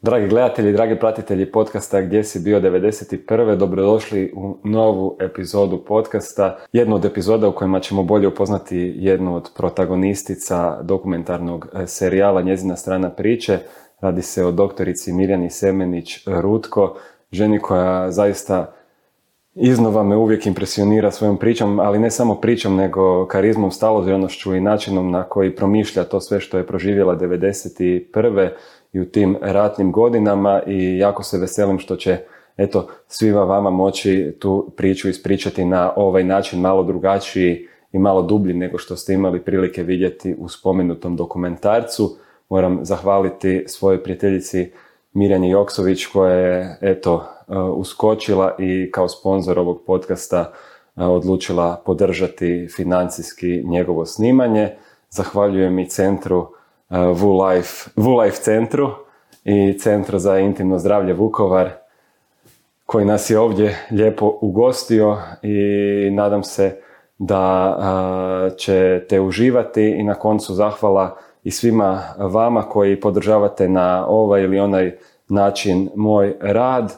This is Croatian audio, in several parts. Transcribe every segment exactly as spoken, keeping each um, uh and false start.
Dragi gledatelji, dragi pratitelji podcasta Gdje si bio devedeset prve. Dobrodošli u novu epizodu podcasta. Jednu od epizoda u kojima ćemo bolje upoznati jednu od protagonistica dokumentarnog serijala Njezina strana priče. Radi se o doktorici Mirjani Semenić-Rutko, ženi koja zaista iznova me uvijek impresionira svojom pričom, ali ne samo pričom, nego karizmom, staloženošću i načinom na koji promišlja to sve što je proživjela devedeset prve i u tim ratnim godinama, i jako se veselim što će eto svima vama moći tu priču ispričati na ovaj način, malo drugačiji i malo dublji nego što ste imali prilike vidjeti u spomenutom dokumentarcu. Moram zahvaliti svojoj prijateljici Mirjani Joksović koja je eto uskočila i kao sponzor ovog podcasta odlučila podržati financijski njegovo snimanje. Zahvaljujem i centru VuLife, VuLife centru i Centru za intimno zdravlje Vukovar koji nas je ovdje lijepo ugostio, i nadam se da ćete uživati. I na koncu zahvala i svima vama koji podržavate na ovaj ili onaj način moj rad,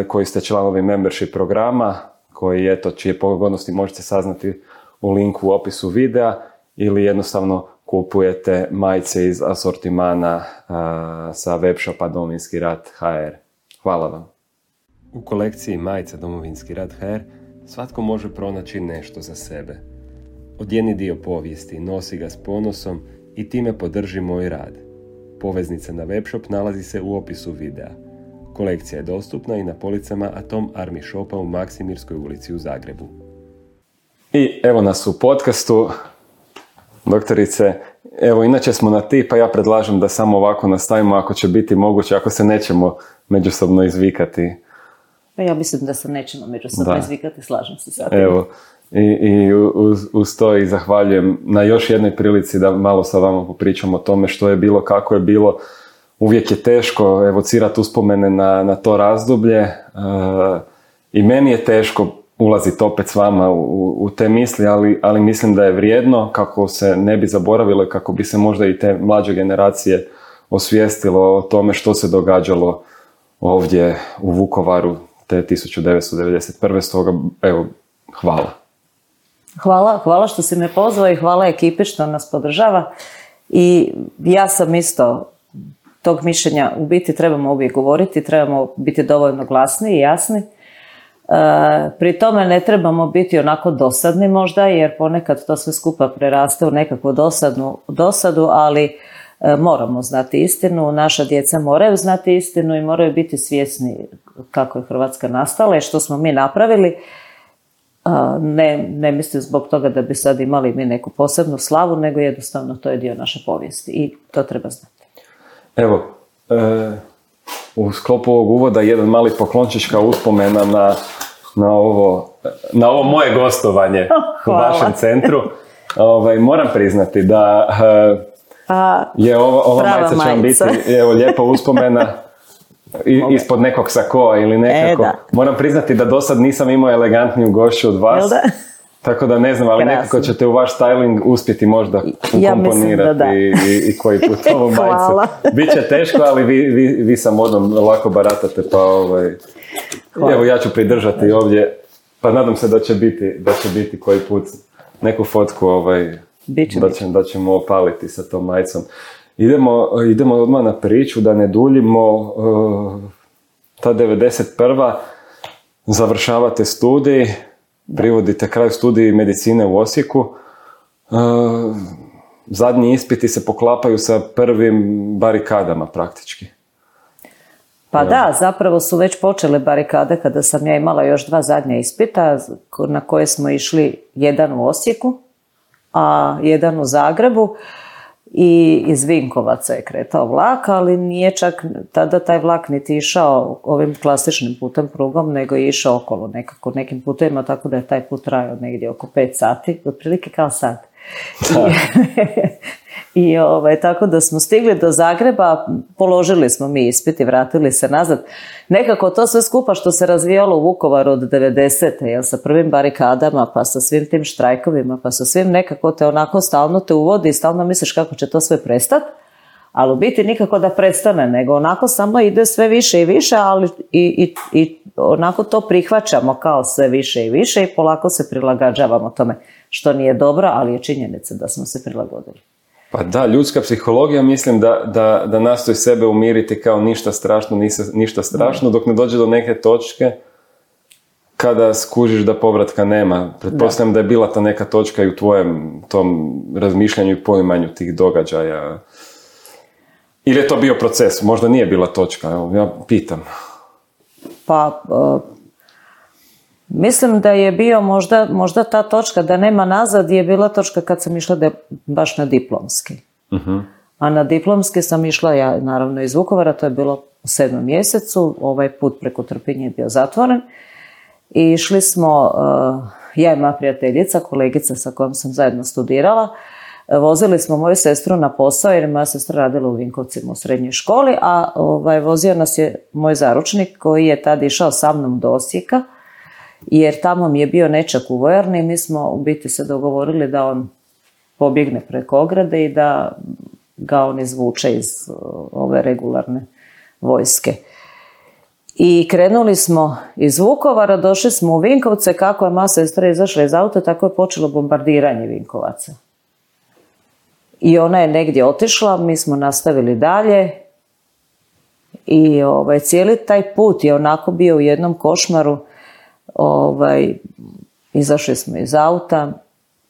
koji ste članovi membership programa, koji eto čije pogodnosti možete saznati u linku u opisu videa, ili jednostavno kupujete majice iz asortimana a, sa webshopa Domovinski rat dot h r. Hvala vam. U kolekciji majica Domovinski rat dot h r svatko može pronaći nešto za sebe. Odjeni dio povijesti, nosi ga s ponosom i time podrži moj rad. Poveznica na webshop nalazi se u opisu videa. Kolekcija je dostupna i na policama Atom Army Shopa u Maksimirskoj ulici u Zagrebu. I evo nas u podcastu. Doktorice, evo inače smo na ti, pa ja predlažem da samo ovako nastavimo ako će biti moguće, ako se nećemo međusobno izvikati. Pa ja mislim da se nećemo međusobno da. izvikati, slažem se sa tim. Evo, i, i uz, uz to i zahvaljujem na još jednoj prilici da malo sa vama popričamo o tome što je bilo, kako je bilo. Uvijek je teško evocirati uspomene na, na to razdoblje, uh, i meni je teško ulaziti opet s vama u, u te misli, ali, ali mislim da je vrijedno kako se ne bi zaboravilo i kako bi se možda i te mlađe generacije osvijestilo o tome što se događalo ovdje u Vukovaru te tisuću devetsto devedeset prve. Stoga, evo, hvala. Hvala, hvala što si me pozvao i hvala ekipi što nas podržava. I ja sam isto tog mišljenja, u biti trebamo uvijek govoriti, trebamo biti dovoljno glasni i jasni. Pri tome ne trebamo biti onako dosadni možda, jer ponekad to sve skupa preraste u nekakvu dosadnu, dosadu, ali moramo znati istinu, naša djeca moraju znati istinu i moraju biti svjesni kako je Hrvatska nastala i što smo mi napravili. Ne, ne mislim zbog toga da bi sad imali mi neku posebnu slavu, nego jednostavno to je dio naše povijesti i to treba znati. Evo, e, u sklopu ovog uvoda jedan mali poklončić kao uspomena na, na, ovo, na ovo moje gostovanje u vašem centru. Ovaj, moram priznati da e, je ova, ova majica će vam biti evo, lijepa uspomena i, ispod nekog sakoa ili nekako. E, moram priznati da do sad nisam imao elegantniju gošću od vas. Tako da ne znam, ali Krasno. Nekako ćete u vaš styling uspjeti možda ukomponirati ja i, i, i koji put ovu majicu. Biće teško, ali vi, vi, vi sa modom lako baratate, pa ovaj, evo ja ću pridržati ovdje, pa nadam se da će biti, da će biti koji put neku fotku ovaj, biće, da, će, da ćemo opaliti sa tom majicom. Idemo, idemo odmah na priču, da ne duljimo. Uh, ta devedeset prva završavate studij, privodite kraju studij medicine u Osijeku. Uh, zadnji ispiti se poklapaju sa prvim barikadama praktički. Pa da, zapravo su već počele barikade kada sam ja imala još dva zadnja ispita na koje smo išli, jedan u Osijeku, a jedan u Zagrebu. I iz Vinkovaca je kretao vlak, ali nije čak tada taj vlak niti išao ovim klasičnim putem prugom, nego je išao okolo nekako nekim putovima, tako da je taj put trajao negdje oko pet sati, otprilike kao sad. I, i ovaj, tako da smo stigli do Zagreba, položili smo mi ispit i vratili se nazad. Nekako to sve skupa što se razvijalo u Vukovaru od devedesete, jel, sa prvim barikadama, pa sa svim tim štrajkovima, pa sa svim, nekako te onako stalno te uvodi i stalno misliš kako će to sve prestati. Ali u biti nikako da prestane, nego onako samo ide sve više i više, ali i, i, i onako to prihvaćamo kao sve više i više i polako se prilagođavamo tome, što nije dobro, ali je činjenica da smo se prilagodili. Pa da, ljudska psihologija mislim da, da, da nastoji sebe umiriti kao ništa strašno, ništa strašno, dok ne dođe do neke točke kada skužiš da povratka nema. Pretpostavljam da. da je bila ta neka točka i u tvojem tom razmišljanju i poimanju tih događaja. Ili je to bio proces? Možda nije bila točka, evo, ja pitam. Pa, uh, mislim da je bio možda, možda ta točka da nema nazad je bila točka kad sam išla de, baš na diplomski. Uh-huh. A na diplomski sam išla, ja naravno iz Vukovara, to je bilo u sedmom mjesecu, ovaj put preko Trpinje je bio zatvoren. I išli smo, uh, ja i moja prijateljica, kolegica sa kojom sam zajedno studirala, vozili smo moju sestru na posao jer je moja sestra radila u Vinkovcima u srednjoj školi, a ovaj, vozio nas je moj zaručnik koji je tad išao sa mnom do Osijeka, jer tamo mi je bio nečak u vojarni i mi smo u biti se dogovorili da on pobjegne preko ograde i da ga on izvuče iz ove regularne vojske. I krenuli smo iz Vukovara, došli smo u Vinkovce, kako je moja sestra izašla iz auta, tako je počelo bombardiranje Vinkovaca. I ona je negdje otišla, mi smo nastavili dalje i ovaj, cijeli taj put je onako bio u jednom košmaru. Ovaj, izašli smo iz auta,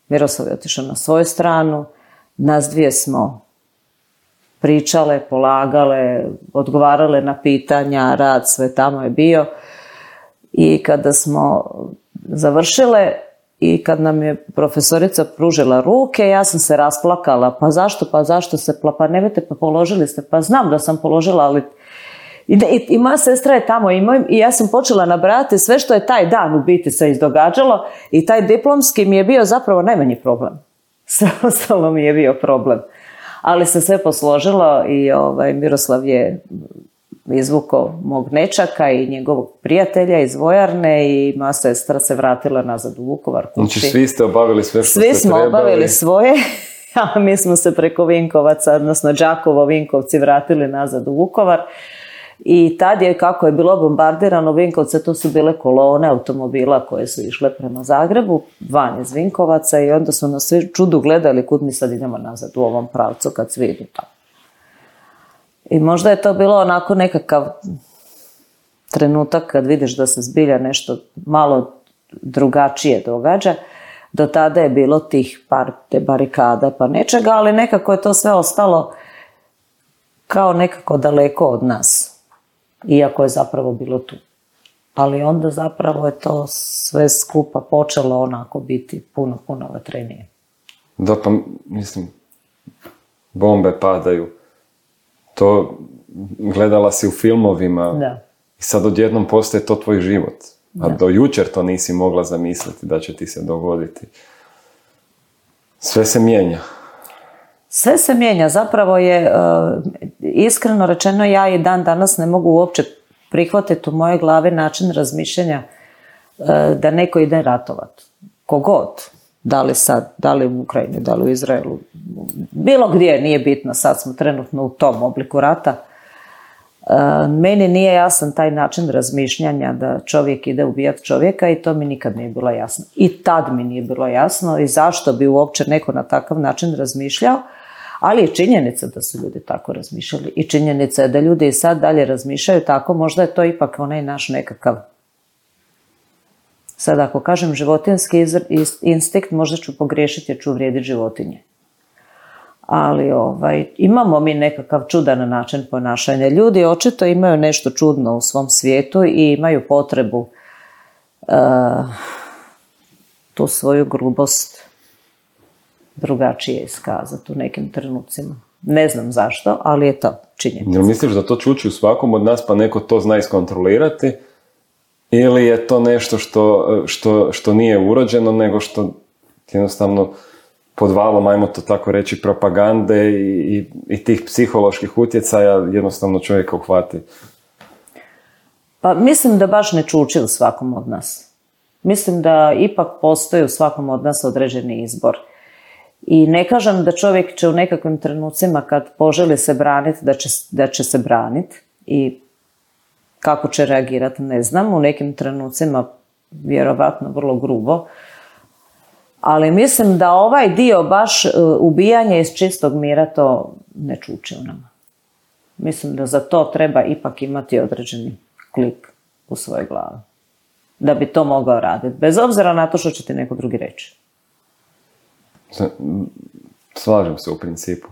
Miroslav je otišao na svoju stranu, nas dvije smo pričale, polagale, odgovarale na pitanja, rad, sve tamo je bio. I kada smo završile i kad nam je profesorica pružila ruke, ja sam se rasplakala. Pa zašto, pa zašto se pla, pa nemojte, pa položili ste, pa znam da sam položila, ali... I, i, i moja sestra je tamo i, moj, i ja sam počela nabrajati sve što je taj dan u biti se izdogađalo i taj diplomski mi je bio zapravo najmanji problem. Sve ostalo mi je bio problem. Ali se sve posložilo i ovaj, Miroslav je izvukao mog nečaka i njegovog prijatelja iz vojarne i moja sestra se vratila nazad u Vukovar kući. Znači svi ste obavili sve što svi ste trebali? Svi smo obavili svoje, a mi smo se preko Vinkovaca, odnosno Đakovo, Vinkovci vratili nazad u Vukovar. I tad je, kako je bilo bombardirano Vinkovce, to su bile kolone automobila koje su išle prema Zagrebu, van iz Vinkovaca i onda su nas svi čudu gledali kud mi sad idemo nazad u ovom pravcu kad svi idu tamo. I možda je to bilo onako nekakav trenutak kad vidiš da se zbilja nešto malo drugačije događa. Do tada je bilo tih par te barikada pa nečega, ali nekako je to sve ostalo kao nekako daleko od nas. Iako je zapravo bilo tu. Ali onda zapravo je to sve skupa počelo onako biti puno, puno vatrenije. Da, pa mislim, bombe padaju. To gledala si u filmovima. Da. I sad odjednom postaje to tvoj život. A da. Do jučer to nisi mogla zamisliti da će ti se dogoditi. Sve se mijenja. Sve se mijenja, zapravo je, uh, iskreno rečeno, ja i dan danas ne mogu uopće prihvatiti u moje glave način razmišljanja uh, da neko ide ratovat. Kogod, da li sad, da li u Ukrajini, da li u Izraelu, bilo gdje, nije bitno, sad smo trenutno u tom obliku rata. Uh, meni nije jasan taj način razmišljanja da čovjek ide ubijati čovjeka i to mi nikad nije bilo jasno. I tad mi nije bilo jasno i zašto bi uopće neko na takav način razmišljao. Ali je činjenica da su ljudi tako razmišljali i činjenica je da ljudi i sad dalje razmišljaju tako, možda je to ipak onaj naš nekakav, sad ako kažem životinjski instinkt, možda ću pogriješiti jer ću uvrijediti životinje. Ali ovaj, imamo mi nekakav čudan način ponašanja. Ljudi očito imaju nešto čudno u svom svijetu i imaju potrebu uh, tu svoju grubost drugačije iskazati u nekim trenucima. Ne znam zašto, ali je to činjenica. Jel misliš da to čuči u svakom od nas pa neko to zna iskontrolirati? Ili je to nešto što, što, što nije urođeno, nego što jednostavno pod valom, ajmo to tako reći, propagande i, i, i tih psiholoških utjecaja jednostavno čovjeka uhvati? Pa mislim da baš ne čuči u svakom od nas. Mislim da ipak postoji u svakom od nas određeni izbor. I ne kažem da čovjek će u nekakvim trenucima kad poželi se braniti, da će, da će se braniti i kako će reagirati, ne znam. U nekim trenucima vjerovatno vrlo grubo. Ali mislim da ovaj dio baš ubijanje iz čistog mira to ne čuči u nama. Mislim da za to treba ipak imati određeni klik u svojoj glavi. Da bi to mogao raditi. Bez obzira na to što će ti neko drugi reći. Slažem se u principu.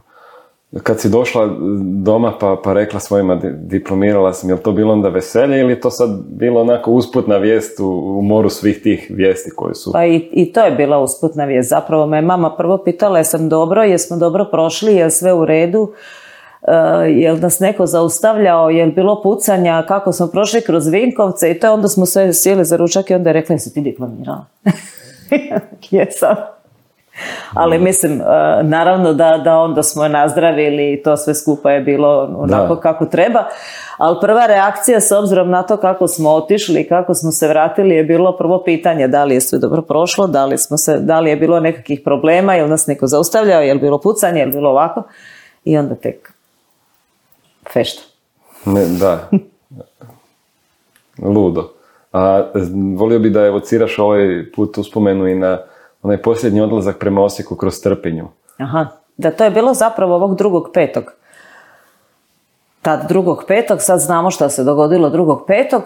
Kad si došla doma pa, pa rekla svojima diplomirala sam, je li to bilo onda veselje ili je to sad bilo onako usputna vijest u, u moru svih tih vijesti koje su? Pa i, i to je bila usputna vijest. Zapravo me mama prvo pitala jesam dobro, jesmo dobro prošli, je sve u redu, uh, je li nas neko zaustavljao, je li bilo pucanja, kako smo prošli kroz Vinkovce i to onda smo sve sjeli za ručak i onda je rekla jesi ti diplomirala? Jesam. Ali mislim, naravno da, da onda smo je nazdravili i to sve skupa je bilo onako da. Kako treba. Ali prva reakcija s obzirom na to kako smo otišli i kako smo se vratili je bilo prvo pitanje da li je sve dobro prošlo, da li, smo se, da li je bilo nekakvih problema, je li nas neko zaustavljao, je li bilo pucanje, je li bilo ovako. I onda tek fešta. Ne, da. Ludo. A volio bi da evociraš ovaj put uspomenu i na onaj posljednji odlazak prema Osijeku kroz Trpinju. Aha, da to je bilo zapravo ovog drugog petog. Tad drugog petog, sad znamo što se dogodilo drugog petog.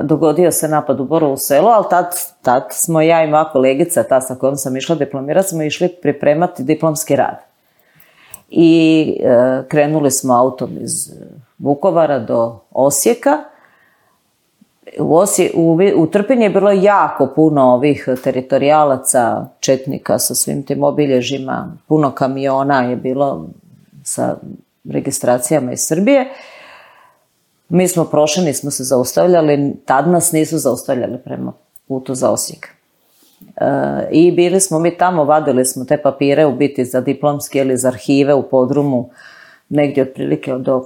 Dogodio se napad u Borovu Selo, ali tad, tad smo ja i moja kolegica, ta sa kojom sam išla diplomirati, smo išli pripremati diplomski rad. I e, krenuli smo autom iz Vukovara do Osijeka. U, Osije, u, u Trpinji je bilo jako puno ovih teritorijalaca, četnika sa svim tim obilježjima, puno kamiona je bilo sa registracijama iz Srbije. Mi smo prošli, nismo se zaustavljali, tad nas nisu zaustavljali prema putu za Osijek. E, I bili smo mi tamo, vadili smo te papire u biti za diplomski ili za arhive u podrumu, negdje otprilike do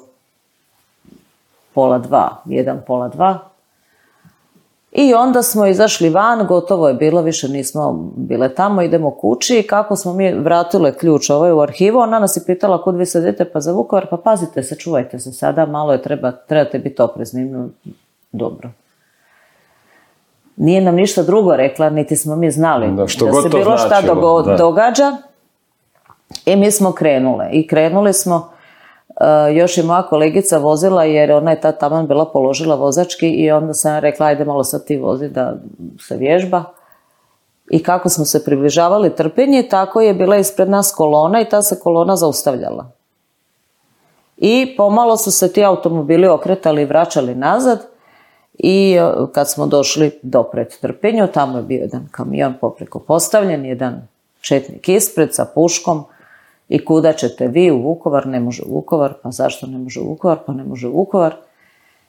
pola dva, jedan pola dva. I onda smo izašli van, gotovo je bilo, više nismo bile tamo, idemo kući i kako smo mi vratile ključ ovaj u arhivu, ona nas je pitala kud vi se idete, pa za Vukovar, pa pazite se, čuvajte se sada, malo je treba, trebate biti oprezni, no, dobro. Nije nam ništa drugo rekla, niti smo mi znali da, da se bilo šta dogo- da. događa i mi smo krenule i krenuli smo. Uh, još i moja kolegica vozila jer ona je tad taman bila položila vozački i onda sam rekla ajde malo sad ti vozi da se vježba. I kako smo se približavali Trpinji, tako je bila ispred nas kolona i ta se kolona zaustavljala. I pomalo su se ti automobili okretali i vraćali nazad i uh, kad smo došli do pred Trpinju, tamo je bio jedan kamion popreko postavljen, jedan četnik ispred sa puškom. I kuda ćete vi u Vukovar? Ne može u Vukovar. Pa zašto ne može u Vukovar? Pa ne može u Vukovar.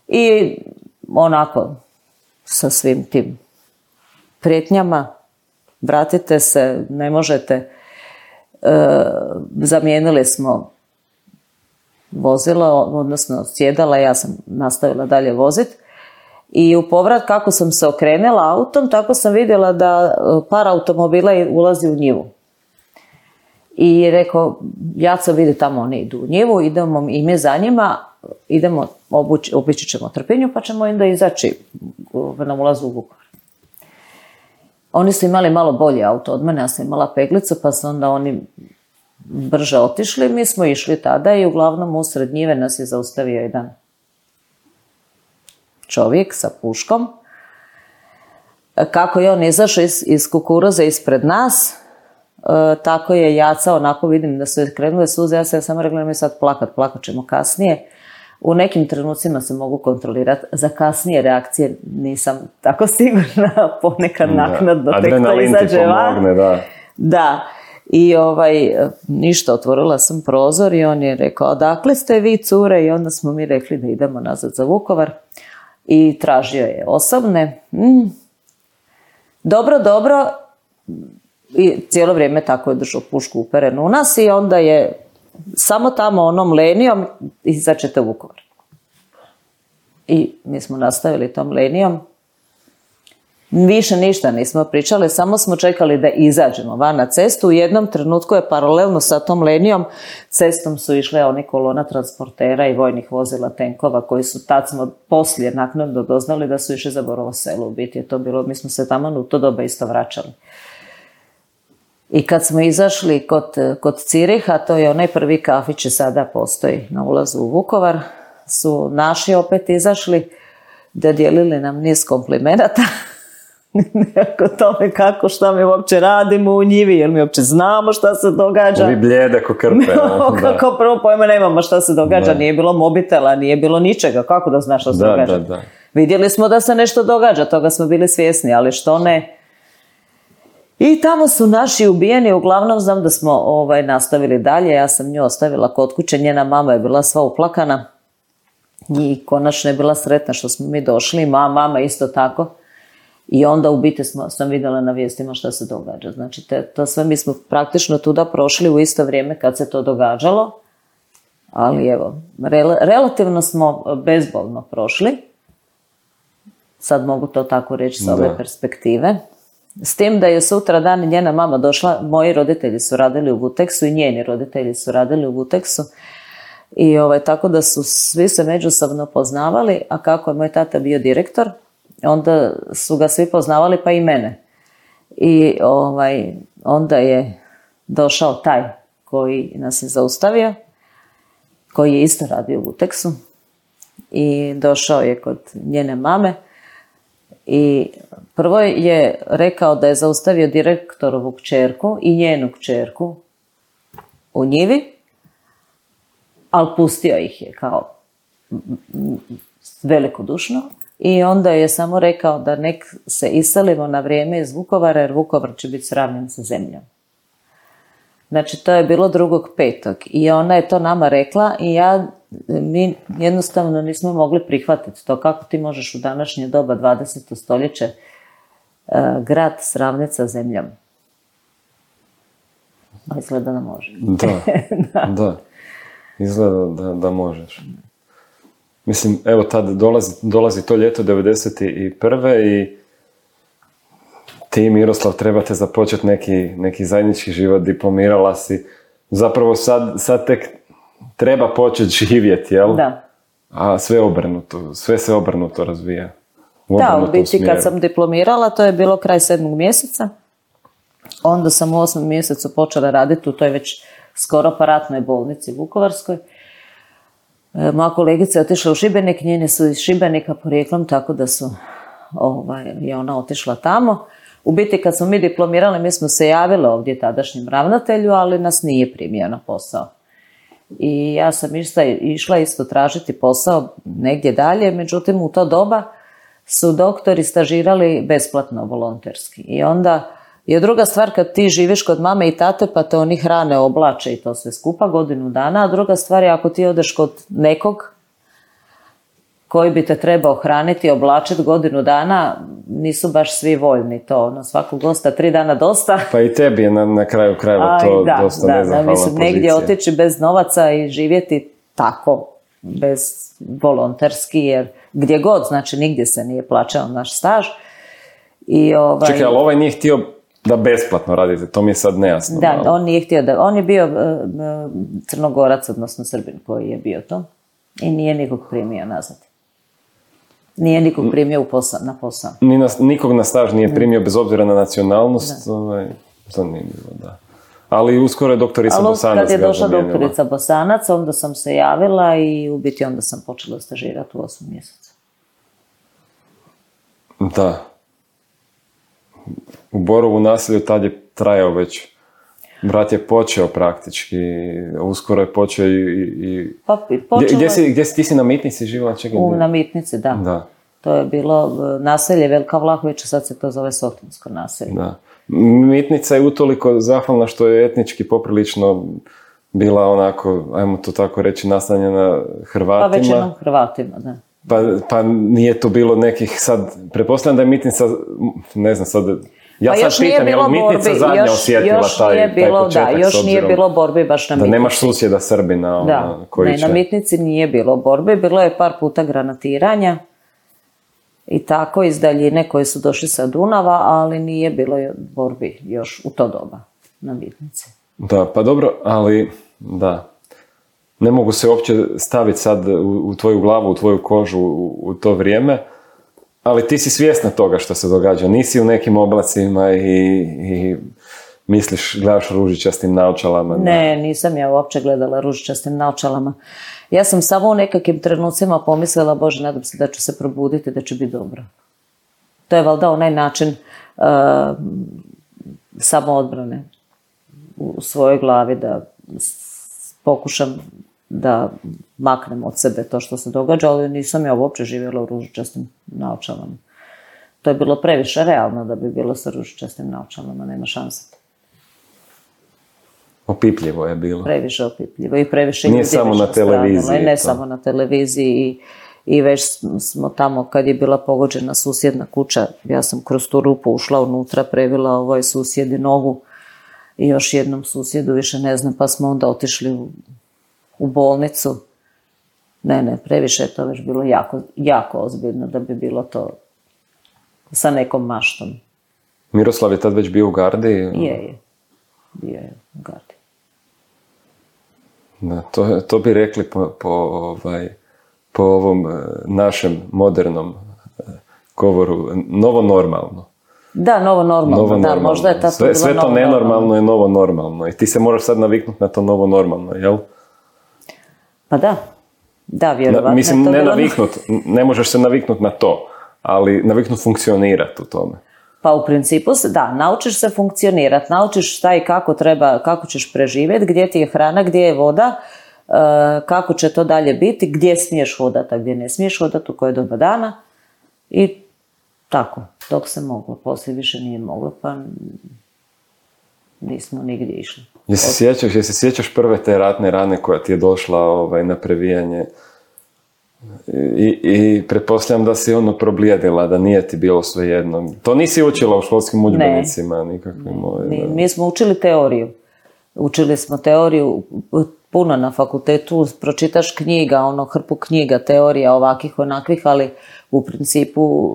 I onako sa svim tim prijetnjama vratite se, ne možete. E, zamijenili smo vozilo, odnosno sjedala, ja sam nastavila dalje voziti. I u povrat kako sam se okrenula autom, tako sam vidjela da par automobila ulazi u njivu. I rekao, Jaco vidi tamo oni idu u njivu, idemo i mi za njima, idemo, obući, obići ćemo Trpinju pa ćemo onda izaći na ulazu u Vukovar. Oni su imali malo bolji auto od mene, ja sam imala peglicu pa su onda oni brže otišli, mi smo išli tada i uglavnom usred njive nas je zaustavio jedan čovjek sa puškom. Kako je on izašao iz, iz kukuruza ispred nas, E, tako je Jaca, onako vidim da su krenule suze, ja sam samo rekla mi sad plakat, plakat ćemo kasnije. U nekim trenucima se mogu kontrolirati, za kasnije reakcije nisam tako sigurna, ponekad naknadno tek to izađe van. Da. da, i ovaj, ništa, otvorila sam prozor i on je rekao, odakle ste vi cure? I onda smo mi rekli da idemo nazad za Vukovar i tražio je osobne. Mm. Dobro, dobro. I cijelo vrijeme tako je držao pušku uperenu u nas i onda je samo tamo onom linijom izaćete u Vukovar. I mi smo nastavili tom linijom Više ništa nismo pričali, samo smo čekali da izađemo van na cestu. U jednom trenutku je paralelno sa tom linijom cestom su išle oni kolona transportera i vojnih vozila, tenkova, koji su, tad smo poslije naknadno doznali da su išli za Borovo Selo. U biti je to bilo, mi smo se tamo u to doba isto vraćali. I kad smo izašli kod, kod Ciriha, to je onaj prvi kafić sada postoji na ulazu u Vukovar, su naši opet izašli, da dijelili nam niz komplimenata. Nekako tome kako, šta mi uopće radimo u njivi, jer mi uopće znamo šta se događa. Ovi bljede ko krpe. No, kako prvo pojma nemamo šta se događa, da. Nije bilo mobitela, nije bilo ničega, kako da znaš šta se da, događa. Da, da. Vidjeli smo da se nešto događa, toga smo bili svjesni, ali što ne. I tamo su naši ubijeni, uglavnom znam da smo ovaj, nastavili dalje, ja sam nju ostavila kod kuće, njena mama je bila sva uplakana i konačno je bila sretna što smo mi došli, ma, mama isto tako. I onda u biti smo, sam vidjela na vijestima šta se događa. Znači, te, to sve mi smo praktično tuda prošli u isto vrijeme kad se to događalo, ali evo, rel, relativno smo bezbolno prošli. Sad mogu to tako reći sa ove da. perspektive. S tim da je sutra dan njena mama došla, moji roditelji su radili u Vuteksu i njeni roditelji su radili u Vuteksu. I ovaj, tako da su svi se međusobno poznavali, a kako je moj tata bio direktor, onda su ga svi poznavali, pa i mene. I ovaj, onda je došao taj koji nas je zaustavio, koji je isto radio u Vuteksu. I došao je kod njene mame. I prvo je rekao da je zaustavio direktorovu kćerku i njenu kćerku u njivi, ali pustio ih je kao velikodušno. I onda je samo rekao da nek se iselimo na vrijeme iz Vukovara, jer Vukovar će biti sravnjen sa zemljom. Znači, to je bilo drugog petog I ona je to nama rekla i ja, mi jednostavno nismo mogli prihvatiti to. Kako ti možeš u današnje doba, dvadeseto stoljeće, uh, grad sravniti sa zemljom? A izgleda da može. Da, da. da. Izgleda da, da možeš. Mislim, evo tad dolazi, dolazi to ljeto devedeset prve i ti, Miroslav, trebate započeti neki, neki zajednički život, diplomirala si. Zapravo sad, sad tek treba početi živjeti, jel? Da. A sve obrnuto, sve se obrnuto razvija. U da, u biti smjeru. Kad sam diplomirala, to je bilo kraj sedmog mjeseca. Onda sam u osmom mjesecu počela raditi u toj već skoro paratnoj bolnici Vukovarskoj. Moja kolegica je otišla u Šibenik, njene su iz Šibenika porijeklom, tako da su, ovaj, je ona otišla tamo. U biti kad smo mi diplomirali, mi smo se javili ovdje tadašnjem ravnatelju, ali nas nije primio na posao. I ja sam išla, išla isto tražiti posao negdje dalje, međutim u to doba su doktori stažirali besplatno, volonterski. I onda je druga stvar kad ti živiš kod mame i tate pa te oni hrane, oblače i to sve skupa godinu dana, a druga stvar je ako ti odeš kod nekog koji bi te trebao hraniti i oblačiti godinu dana, nisu baš svi voljni to. Ono, svakog gosta tri dana dosta. Pa i tebi je na, na kraju krajeva to da, dosta da, nezahvalna da, mislim, pozicija. Negdje otići bez novaca i živjeti tako, bez volonterski, jer gdje god, znači nigdje se nije plaćao naš staž. I ovaj... Čekaj, ali ovaj nije htio da besplatno radite, to mi je sad nejasno. Da, malo. On nije htio da, on je bio uh, Crnogorac, odnosno Srbin koji je bio to i nije nikog primio nazad. Nije nikog primio u posao, na posao. Ni na, nikog na staž nije primio bez obzira na nacionalnost, ovaj, zanimljivo, da. Ali uskoro je doktorica Ali Bosanac kad je došla doktorica Bosanac, onda sam se javila i u biti onda sam počela stažirati u osmom mjesecu. Da. U Borovu naselju tad je trajao već, brat je počeo praktički, uskoro je počeo i... i... Pa, počelo... gdje, gdje, si, gdje si, ti si na Mitnici živjela? Čekaj, u na Mitnici, da. da. To je bilo naselje Velika Vlahovića, sad se to zove Sotinsko naselje. Da. Mitnica je utoliko zahvalna što je etnički poprilično bila onako, ajmo to tako reći, nastanjena Hrvatima. Pa većinom Hrvatima, da. Pa, pa nije to bilo nekih sad, pretpostavljam da je Mitnica, ne znam sad, ja pa sad pitam, je li Mitnica zadnja još, osjetila još taj, bilo, taj početak? Da, još obzirom, nije bilo borbi baš na Mitnici. Da nemaš susjeda Srbina ona, da, koji ne, će... na Mitnici nije bilo borbi, bilo je par puta granatiranja i tako iz daljine koji su došli sa Dunava, ali nije bilo borbi još u to doba na bitnici. Da, pa dobro, ali da, ne mogu se uopće staviti sad u, u tvoju glavu, u tvoju kožu u, u to vrijeme, ali ti si svjesna toga što se događa. Nisi u nekim oblacima i, i misliš, gledaš ružičastim naočalama. Ne, nisam ja uopće gledala ružičastim naočalama. Ja sam samo u nekakvim trenucima pomislila, Bože, nadam se da ću se probuditi, da će biti dobro. To je valjda onaj način uh, samoodbrane u svojoj glavi, da pokušam da maknem od sebe to što se događa, ali nisam ja uopće živjela u ružičastim naočalama. To je bilo previše realno da bi bilo sa ružičastim naočalama, nema šanse. Opipljivo je bilo. Previše opipljivo i previše nije samo na televiziji. I ne to. samo na televiziji i, i već smo tamo kad je bila pogođena susjedna kuća, ja sam kroz tu rupu ušla unutra, previla ovoj susjedi nogu i još jednom susjedu, više ne znam, pa smo onda otišli u, u bolnicu. Ne, ne, previše je to već bilo jako, jako ozbiljno da bi bilo to sa nekom maštom. Miroslav je tad već bio u gardi? Je, je. Bio je u gardi. Da, to, to bi rekli po, po, ovaj, po ovom našem modernom govoru, novo normalno. Da, novo normalno, novo da, normalno. Možda je ta sve, sve to nenormalno normalno. Je novo normalno i ti se moraš sad naviknuti na to novo normalno, jel? Pa da, da, vjerovatno. Na, mislim, ne naviknut, ne možeš se naviknuti na to, ali naviknut funkcionirati u tome. Pa u principu, da, naučiš se funkcionirati, naučiš šta i kako treba, kako ćeš preživjeti, gdje ti je hrana, gdje je voda, kako će to dalje biti, gdje smiješ hodati, a gdje ne smiješ hodati, u koje doba dana i tako, dok se moglo, poslije više nije moglo, pa nismo nigdje išli. Jesi se sjećaš, jesi sjećaš prve te ratne rane koja ti je došla ovaj, na previjanje? I, i pretpostavljam da si ono problijedila, da nije ti bilo svejedno. To nisi učila u školskim udžbenicima nikakvim. Ovaj, mi, mi smo učili teoriju. Učili smo teoriju puno na fakultetu, pročitaš knjiga, ono hrpu knjiga, teorija ovakvih, onakvih, ali u principu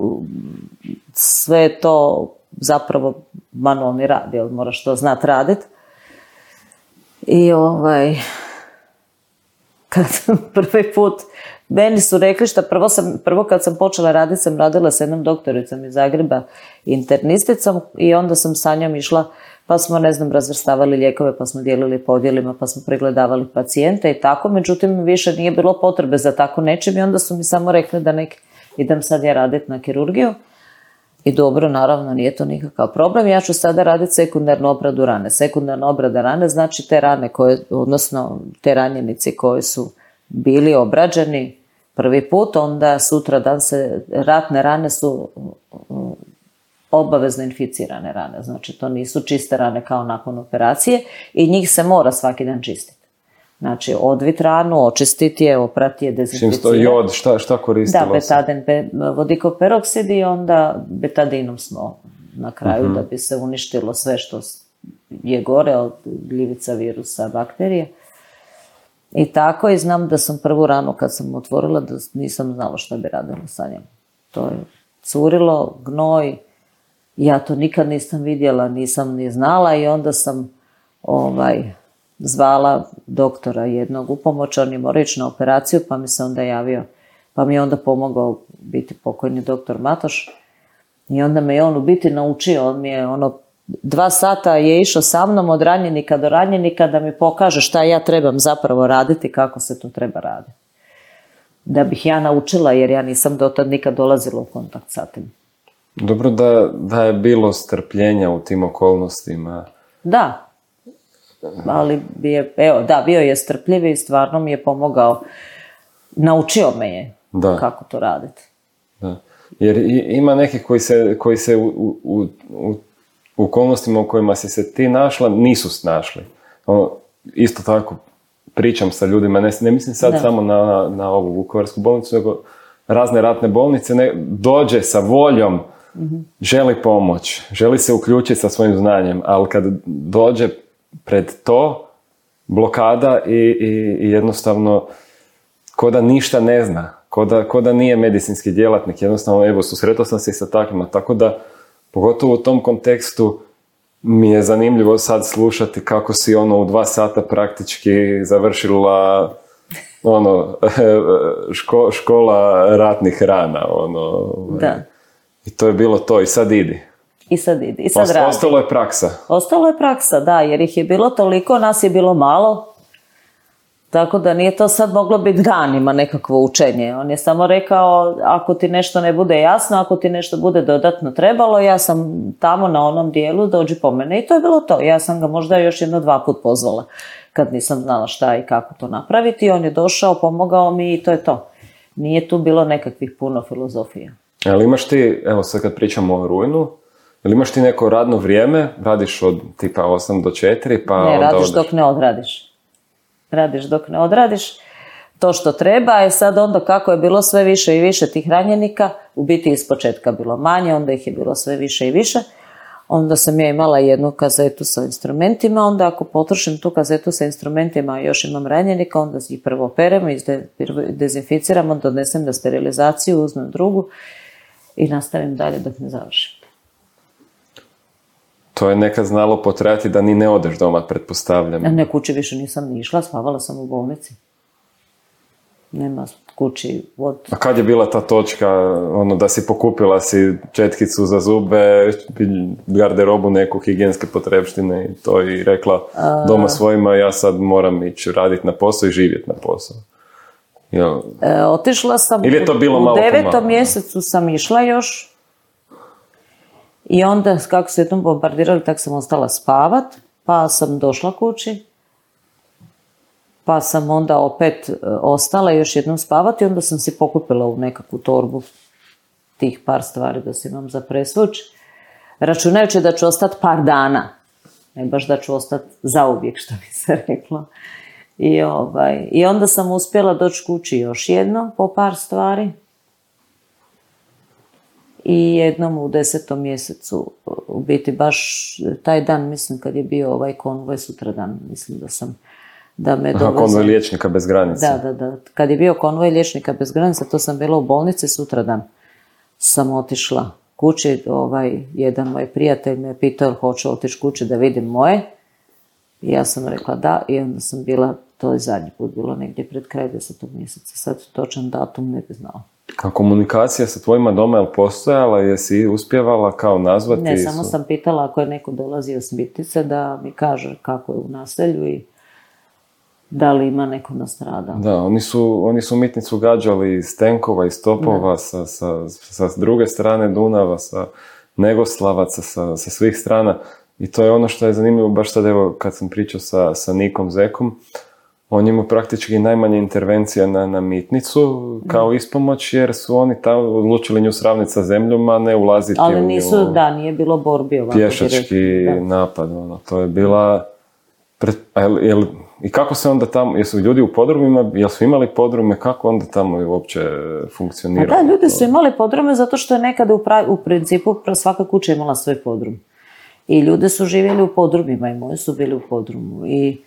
sve to zapravo manualni rad, jer moraš to znati raditi. I ovaj, kad prvi put meni su rekli što prvo, sam, prvo kad sam počela raditi sam radila s jednom doktoricom iz Zagreba, internisticom, i onda sam sa njom išla, pa smo, ne znam, razvrstavali lijekove, pa smo dijelili po odjelima, pa smo pregledavali pacijente i tako, međutim više nije bilo potrebe za tako nečim i onda su mi samo rekli da nek idem sad ja raditi na kirurgiju. I dobro, naravno, nije to nikakav problem. Ja ću sada raditi sekundarnu obradu rane. Sekundarna obrada rane znači te rane koje, odnosno te ranjenici koji su bili obrađeni prvi put, onda sutra dan se, ratne rane su obavezno inficirane rane. Znači, to nisu čiste rane kao nakon operacije i njih se mora svaki dan čistiti. Znači, odvit ranu, očistiti je, oprati je, dezinficirati. Čim sto jod, šta, šta koristilo? Da, betaden, be, vodikov peroksid i onda betadinom smo na kraju uh-huh. da bi se uništilo sve što je gore od gljivica, virusa, bakterije. I tako, i znam da sam prvu ranu kad sam otvorila, da nisam znala što bi radila sa njom. To je curilo, gnoj, ja to nikad nisam vidjela, nisam ni znala i onda sam ovaj... zvala doktora jednog u pomoć, on je morao ići na operaciju, pa mi se onda javio, pa mi je onda pomogao biti pokojni doktor Matoš i onda me je on u biti naučio, on mi je ono, dva sata je išao sa mnom od ranjenika do ranjenika da mi pokaže šta ja trebam zapravo raditi, kako se to treba raditi. Da bih ja naučila, jer ja nisam dotad nikad dolazila u kontakt sa tim. Dobro da, da je bilo strpljenja u tim okolnostima. Da. Ali bi je, evo, da, bio je strpljiv i stvarno mi je pomogao, naučio me je da. Kako to raditi. Da. Jer ima nekih koji se, koji se u, u, u, u okolnostima u kojima si se ti našla nisu snašli. Ono, isto tako pričam sa ljudima, ne, ne mislim sad da. Samo na, na ovu Vukovarsku bolnicu, nego razne ratne bolnice, ne, dođe sa voljom, mm-hmm. želi pomoć, želi se uključiti sa svojim znanjem, ali kad dođe pred to, blokada i, i, i jednostavno ko da ništa ne zna. ko da, ko da nije medicinski djelatnik, jednostavno, evo, susretao sam se i sa takvima, tako da, pogotovo u tom kontekstu, mi je zanimljivo sad slušati kako si ono u dva sata praktički završila ono, ško, škola ratnih rana, ono, da. I to je bilo to, i sad idi. I sad idi, i sad Osta, radi. Ostalo je praksa. Ostalo je praksa, da, jer ih je bilo toliko, nas je bilo malo, tako da nije to sad moglo biti danima nekakvo učenje. On je samo rekao, ako ti nešto ne bude jasno, ako ti nešto bude dodatno trebalo, ja sam tamo na onom dijelu, dođi po mene. I to je bilo to. Ja sam ga možda još jedno dva put pozvala, kad nisam znala šta i kako to napraviti. On je došao, pomogao mi i to je to. Nije tu bilo nekakvih puno filozofija. Ali imaš ti, evo sad kad pričamo o rujnu, ili imaš ti neko radno vrijeme, radiš od tipa osam do četiri, pa ne, onda radiš odeš. dok ne odradiš. Radiš dok ne odradiš to što treba, je sad onda kako je bilo sve više i više tih ranjenika, u biti iz početka bilo manje, onda ih je bilo sve više i više, onda sam ja imala jednu kazetu sa instrumentima, onda ako potrošim tu kazetu sa instrumentima i još imam ranjenika, onda ih prvo operemo, dezinficiramo, donesem na sterilizaciju, uzmem drugu i nastavim dalje dok ne završim. To je nekad znalo potrajati da ni ne odeš doma, pretpostavljam. Ne, kući više nisam ni išla, spavala sam u bolnici. Nema kući od... A kad je bila ta točka, ono, da si pokupila si četkicu za zube, garderobu, neku higijenske potrepštine i to i rekla doma svojima, ja sad moram ići raditi na posao i živjeti na posao? Jel? E, otišla sam, Ili je to bilo malo u devetom malo? mjesecu sam išla još i onda kako se jednom bombardirali, tak sam ostala spavat, pa sam došla kući, pa sam onda opet ostala još jednom spavati i onda sam si pokupila u nekakvu torbu tih par stvari da si imam za presvuć, računajući da ću ostati par dana, ne baš da ću ostati zauvijek, što bi se reklo. I, ovaj, I onda sam uspjela doći kući još jedno po par stvari. I jednom u desetom mjesecu, u biti baš taj dan, mislim kad je bio ovaj konvoj sutradan, mislim da sam, da me dovezam. Aha, konvoj liječnika bez granica. Da, da, da. Kad je bio konvoj liječnika bez granica, to sam bila u bolnici, sutradan sam otišla kući. Ovaj, jedan moj prijatelj me pitao jel hoću otići kući da vidim moje. I ja sam rekla da i onda sam bila, to je zadnji put bilo negdje pred kraj desetog mjeseca. Sad točan datum ne bi znala. A komunikacija sa tvojima doma je li postojala? Jesi uspjevala kao nazvati? Ne, samo su... sam pitala ako je neko dolazio s Mitice da mi kaže kako je u naselju i da li ima neko nastradao. Da, oni su, oni su Mitnicu gađali iz tenkova, iz topova, sa, sa, sa druge strane Dunava, sa Negoslavaca, sa, sa svih strana. I to je ono što je zanimljivo, baš sad evo kad sam pričao sa, sa Nikom Zekom, on ima praktički najmanje intervencija na, na Mitnicu kao ispomoć, jer su oni tamo odlučili nju sravniti sa zemljom, a ne ulaziti ali u nisu, nju. da, nije bilo borbi ovako. Pješački da. napad, ono, to je bila... Pred, jel, jel, I kako se onda tamo, jesu ljudi u podrumima, jel su imali podrume, kako onda tamo uopće funkcioniralo? A da, ljudi su imali podrume zato što je nekada u, pravi, u principu svaka kuća imala svoj podrum. I ljudi su živjeli u podrumima i moji su bili u podrumu. I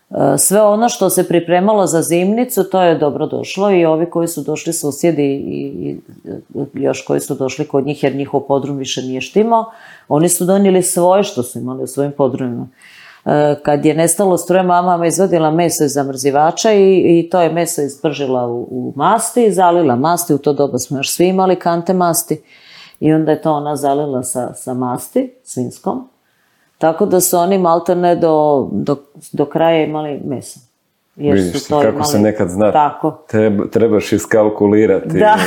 e, sve ono što se pripremalo za zimnicu, to je dobro došlo i ovi koji su došli susjedi i, i još koji su došli kod njih jer njihov podrum više nije štimao, oni su donijeli svoje što su imali u svojim podrumima. E, kad je nestalo struje, mama me izvadila meso iz zamrzivača i, i to je meso ispržila u, u masti, zalila masti, u to doba smo još svi imali kante masti i onda je to ona zalila sa, sa masti, svinskom. Tako da su oni maltene do, do, do kraja imali meso. Jer Vidiš su to kako imali... se nekad zna. Tako. Treba, trebaš iskalkulirati. Da,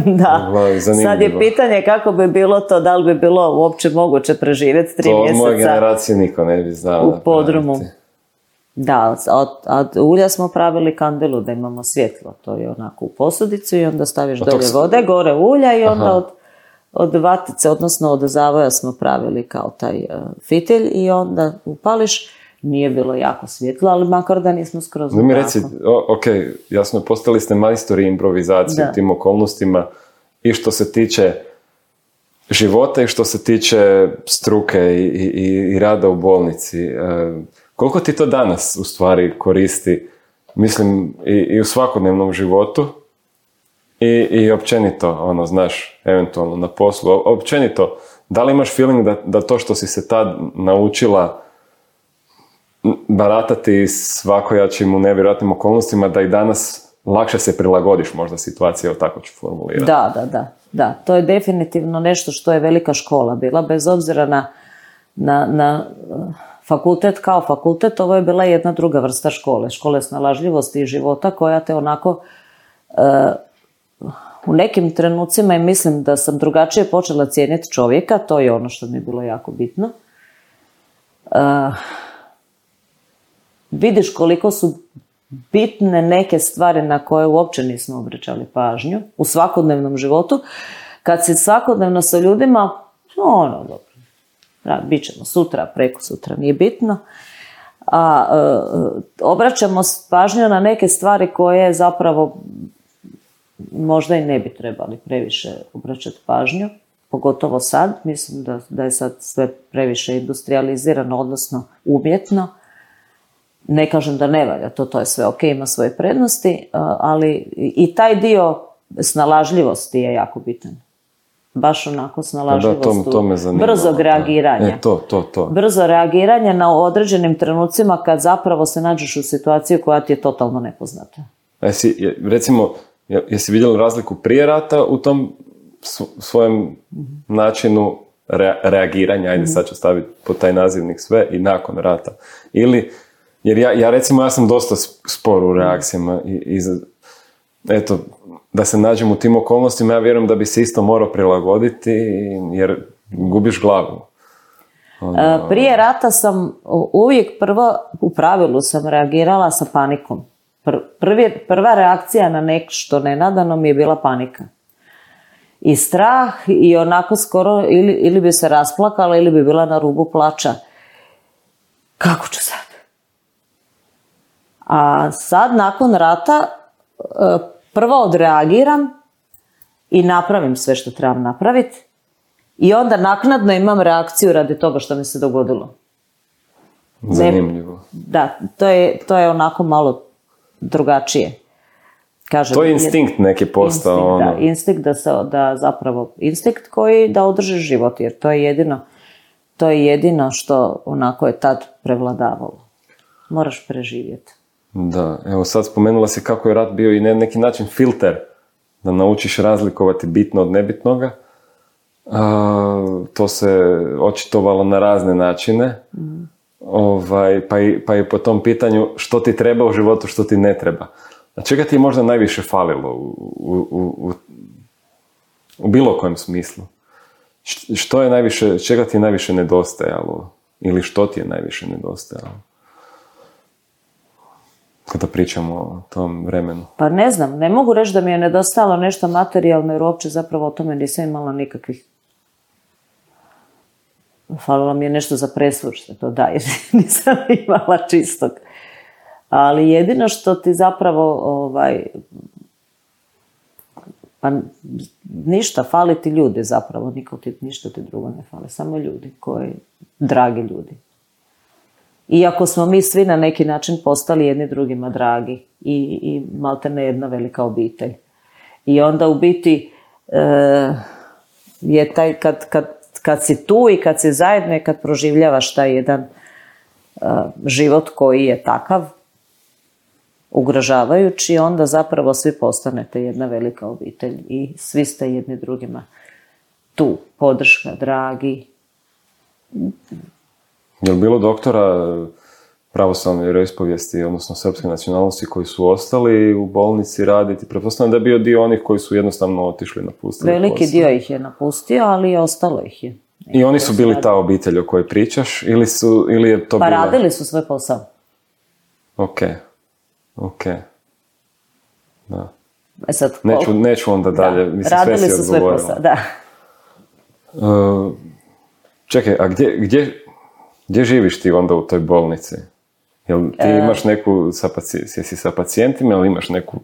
da. Zanimljivo. Sad je pitanje kako bi bilo to, da li bi bilo uopće moguće preživjeti tri to mjeseca. To od moje generacije niko ne bi znao. U podrumu. Da, od, od ulja smo pravili kandelu da imamo svjetlo. To je onako u posudicu i onda staviš pa dolje s... vode, gore ulja i onda Aha. od... Od vatice, odnosno od zavoja smo pravili kao taj uh, fitilj i onda upališ. Nije bilo jako svjetlo, ali makar da nismo skroz Da mi reci, o, ok, jasno, postali ste majstori improvizacije u tim okolnostima i što se tiče života i što se tiče struke i, i, i rada u bolnici. E, koliko ti to danas u stvari koristi, mislim, i, i u svakodnevnom životu? I, i općenito, ono, znaš, eventualno na poslu, općenito, da li imaš feeling da, da to što si se tad naučila baratati svakojačim u nevjerojatnim okolnostima, da i danas lakše se prilagodiš možda situaciji, evo tako ću formulirati. Da, da, da, da. To je definitivno nešto što je velika škola bila, bez obzira na, na, na fakultet kao fakultet, ovo je bila jedna druga vrsta škole, škole snalažljivosti i života koja te onako uh, u nekim trenucima, i mislim da sam drugačije počela cijeniti čovjeka, to je ono što mi je bilo jako bitno. Uh, vidiš koliko su bitne neke stvari na koje uopće nismo obraćali pažnju u svakodnevnom životu. Kad si svakodnevno sa ljudima, ono, dobro, da, bit ćemo sutra, preko sutra, nije bitno. A uh, obraćamo pažnju na neke stvari koje zapravo možda i ne bi trebali previše obraćati pažnju, pogotovo sad. Mislim da, da je sad sve previše industrializirano, odnosno umjetno. Ne kažem da ne valja, to, to je sve ok, ima svoje prednosti, ali i taj dio snalažljivosti je jako bitan. Baš onako snalažljivost, da, to, to me zanima, brzog reagiranja. E, to, to, to. Brzo reagiranje na određenim trenucima kad zapravo se nađeš u situaciju koja ti je totalno nepoznata. Jesi, recimo, jesi vidjela razliku prije rata u tom svojem mm-hmm. načinu re, reagiranja, ajde mm-hmm. sad ću staviti pod taj nazivnik sve, i nakon rata? Ili, jer ja, ja recimo, ja sam dosta spor u reakcijama i, i eto, da se nađem u tim okolnostima, ja vjerujem da bi se isto morao prilagoditi, jer gubiš glavu. Ono... Prije rata sam uvijek prvo, u pravilu sam reagirala sa panikom. Prvi, prva reakcija na nešto nenadano mi je bila panika. I strah, i onako skoro ili, ili bi se rasplakala ili bi bila na rubu plača. Kako ću sad? A sad, nakon rata, prvo odreagiram i napravim sve što trebam napraviti. I onda naknadno imam reakciju radi toga što mi se dogodilo. Zanimljivo. Da, to je, to je onako malo drugačije. Kažem, to je instinkt neki postao. Instinkt, ono. da, instinkt da, se, da zapravo, instinkt koji da održi život, jer to je jedino, to je jedino što onako je tad prevladavalo. Moraš preživjeti. Da, evo sad spomenula si kako je rat bio i na neki način filter da naučiš razlikovati bitno od nebitnoga. A, to se očitovalo na razne načine. Mm. Ovaj, pa, i, pa i po tom pitanju što ti treba u životu, što ti ne treba. A čega ti je možda najviše falilo u, u, u, u bilo kojem smislu? Što je najviše, čega ti je najviše nedostajalo? Ili što ti je najviše nedostajalo? Kada pričamo o tom vremenu. Pa ne znam, ne mogu reći da mi je nedostajalo nešto materijalno, jer uopće zapravo o tome nisam imala nikakvih. Falilo mi je nešto za presvušte, to da, jer nisam imala čistog. Ali jedino što ti zapravo, ovaj, pa ništa, fali ti ljudi zapravo, niko ti, ništa ti drugo ne fali, samo ljudi koji, dragi ljudi. Iako smo mi svi na neki način postali jedni drugima dragi i, i maltene jedna velika obitelj. I onda u biti e, je taj, kad, kad, kad si tu i kad si zajedno i kad proživljavaš taj jedan e, život koji je takav, ugrožavajući, onda zapravo svi postanete jedna velika obitelj i svi ste jedni drugima tu, podrška, dragi. Je li bilo doktora pravoslavne vjeroispovijesti, odnosno srpske nacionalnosti, koji su ostali u bolnici raditi? Pretpostavljam da je bio dio onih koji su jednostavno otišli, napustili. Veliki posao. Dio ih je napustio, ali ostalo ih je. I oni su bili ta obitelj o kojoj pričaš? Ili, su, ili je to pa bila... radili su svoj posao. Ok. Ok. Da. E sad, neću, neću onda dalje. Da. Mislim, radili sve si su svoj posao, da. Uh, čekaj, a gdje... gdje Gdje živiš ti onda u toj bolnici? Jel ti e... imaš neku, sa paci... jesi sa pacijentima, ili imaš neku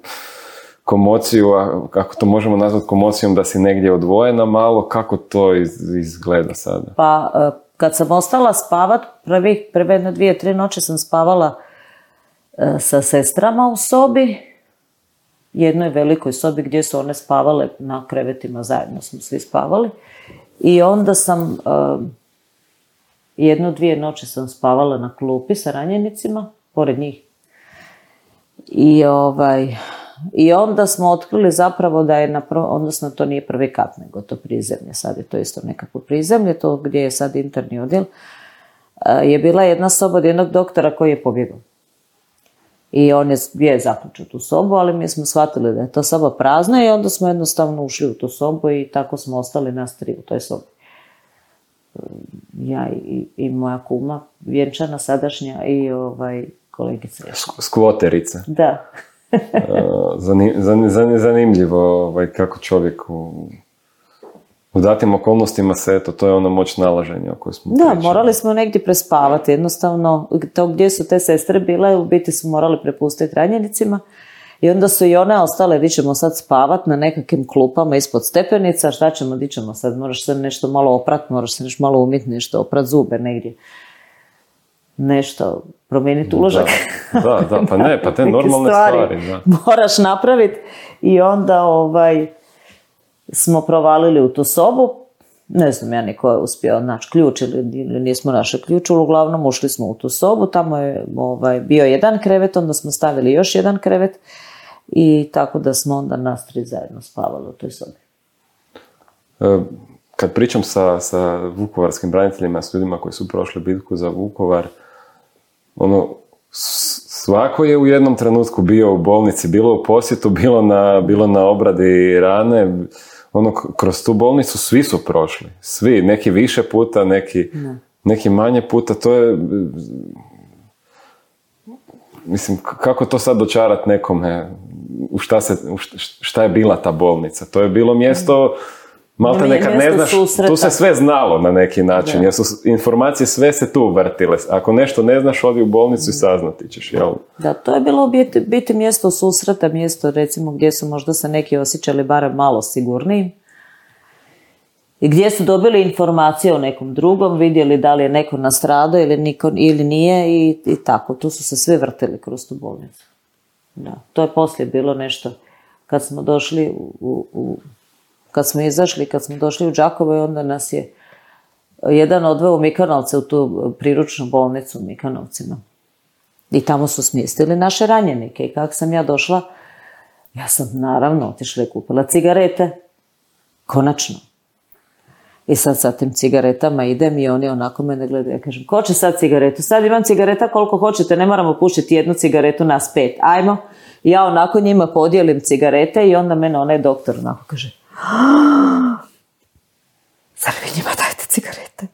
komociju, a kako to možemo nazvati komocijom, da si negdje odvojena malo, kako to iz... izgleda sada? Pa, kad sam ostala spavat, prvih, prve jedne, dvije, tri noći sam spavala sa sestrama u sobi, jednoj velikoj sobi gdje su one spavale na krevetima, zajedno smo svi spavali. I onda sam, uh, jednu, dvije noći sam spavala na klupi sa ranjenicima, pored njih. I, ovaj, i onda smo otkrili zapravo da je, na pro, odnosno to nije prvi kat, nego to prizemlje, sad je to isto nekako prizemlje, to gdje je sad interni odjel, uh, je bila jedna soba od jednog doktora koji je pobjegao. I on je, je zaključio tu sobu, ali mi smo shvatili da je to soba prazna i onda smo jednostavno ušli u tu sobu i tako smo ostali nas tri u toj sobi. Ja i, i moja kuma, vjenčana sadašnja i ovaj, kolegica. Skvoterica. Da. Zanim, zanim, zanimljivo ovaj, kako čovjek u, u datim okolnostima se, eto, to je ono moć nalaženja o kojoj smo Da, pričali. morali smo negdje prespavati. Jednostavno, to gdje su te sestre bile, u biti su morali prepustiti ranjenicima. I onda su i one ostale, di ćemo sad spavat na nekakvim klupama ispod stepenica, šta ćemo, di ćemo sad, moraš se nešto malo oprat, moraš se nešto malo umiti, nešto oprat zube negdje. Nešto, promijeniti uložak. Da, da, da, pa ne, pa te normalne stvari. stvari da. Moraš napraviti i onda ovaj, smo provalili u tu sobu. Ne znam ja niko je uspio naći ključ ili, ili nismo našli ključ, uglavnom ušli smo u tu sobu, tamo je ovaj, bio jedan krevet, onda smo stavili još jedan krevet i tako da smo onda nas tri zajedno spavali u toj sobi. Kad pričam sa, sa vukovarskim braniteljima, s ljudima koji su prošli bitku za Vukovar, ono, svako je u jednom trenutku bio u bolnici, bilo u posjetu, bilo na, bilo na obradi rane. Ono, kroz tu bolnicu svi su prošli. Svi, neki više puta, neki, neki manje puta. To je, mislim, kako to sad dočarat nekome, u šta, se, u šta je bila ta bolnica? To je bilo mjesto, malte nekad ne znaš, susreta. Tu se sve znalo na neki način, jer su informacije sve se tu vrtile. Ako nešto ne znaš, odi u bolnicu i saznati ćeš, jel? Da, to je bilo biti, biti mjesto susreta, mjesto recimo gdje su možda se neki osjećali barem malo sigurniji. I gdje su dobili informacije o nekom drugom, vidjeli da li je neko nastradao ili, niko, ili nije i, i tako. Tu su se svi vrtili kroz tu bolnicu. Da, to je poslije bilo nešto kad smo došli u, u, u kad smo izašli, kad smo došli u Đakovo i onda nas je jedan odveo u Mikanovce u tu priručnu bolnicu u Mikanovcima. I tamo su smjestili naše ranjenike i kako sam ja došla, ja sam naravno otišla i kupila cigarete. Konačno. I sad sa tim cigaretama idem i oni onako mene gledaju. Ja kažem, ko će sad cigaretu? Sad imam cigareta koliko hoćete, ne moramo pušiti jednu cigaretu nas pet. Ajmo. I ja onako njima podijelim cigarete i onda mene onaj doktor onako kaže, zar vi njima dajte cigarete?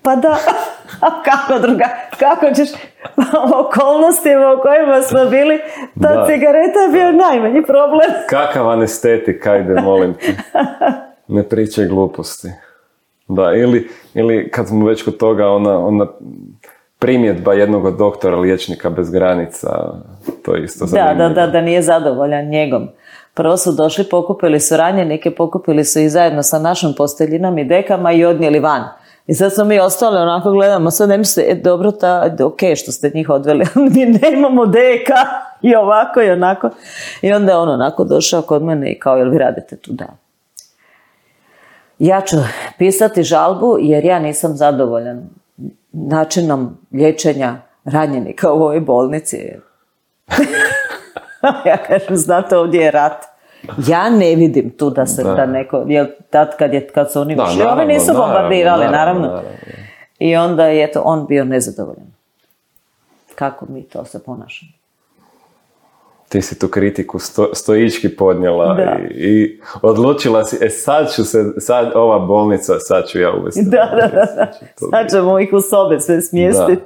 Pa da, a kako druga, kako ćeš okolnostima u kojima smo bili, ta da. Cigareta je bio najmanji problem. Kakav anestetik, ajde, molim te. Ne pričaj gluposti. Da, ili, ili kad smo već kod toga, ona, ona primjedba jednog od doktora, liječnika bez granica, to je isto zanimljivo. Da, da, da, da nije zadovoljan njegom. Prvo su došli, pokupili su ranjenike, pokupili su i zajedno sa našom posteljinom i dekama i odnijeli van. I sad smo mi ostali, onako gledamo, sad ne mislite, e, dobro, ta, ok, što ste njih odveli, mi nemamo deka, i ovako i onako. I onda je on onako došao kod mene i kao, jel vi radite tu? Da. Ja ću pisati žalbu jer ja nisam zadovoljan načinom liječenja ranjenika u ovoj bolnici. Ja kažem, znate, ovdje je rat. Ja ne vidim tu da se da, da neko, jel tad kad, je, kad su oni ušli, ovi nisu naravno, bombardirali, naravno. naravno. naravno. I onda je to on bio nezadovoljan. Kako mi to se ponašamo? Ti si tu kritiku sto, stoički podnijela i, i odlučila si, e sad ću se, sad ova bolnica, sad ću ja uvesti. Da, da, da, da. Sad ćemo ih u sobe sve smjestiti.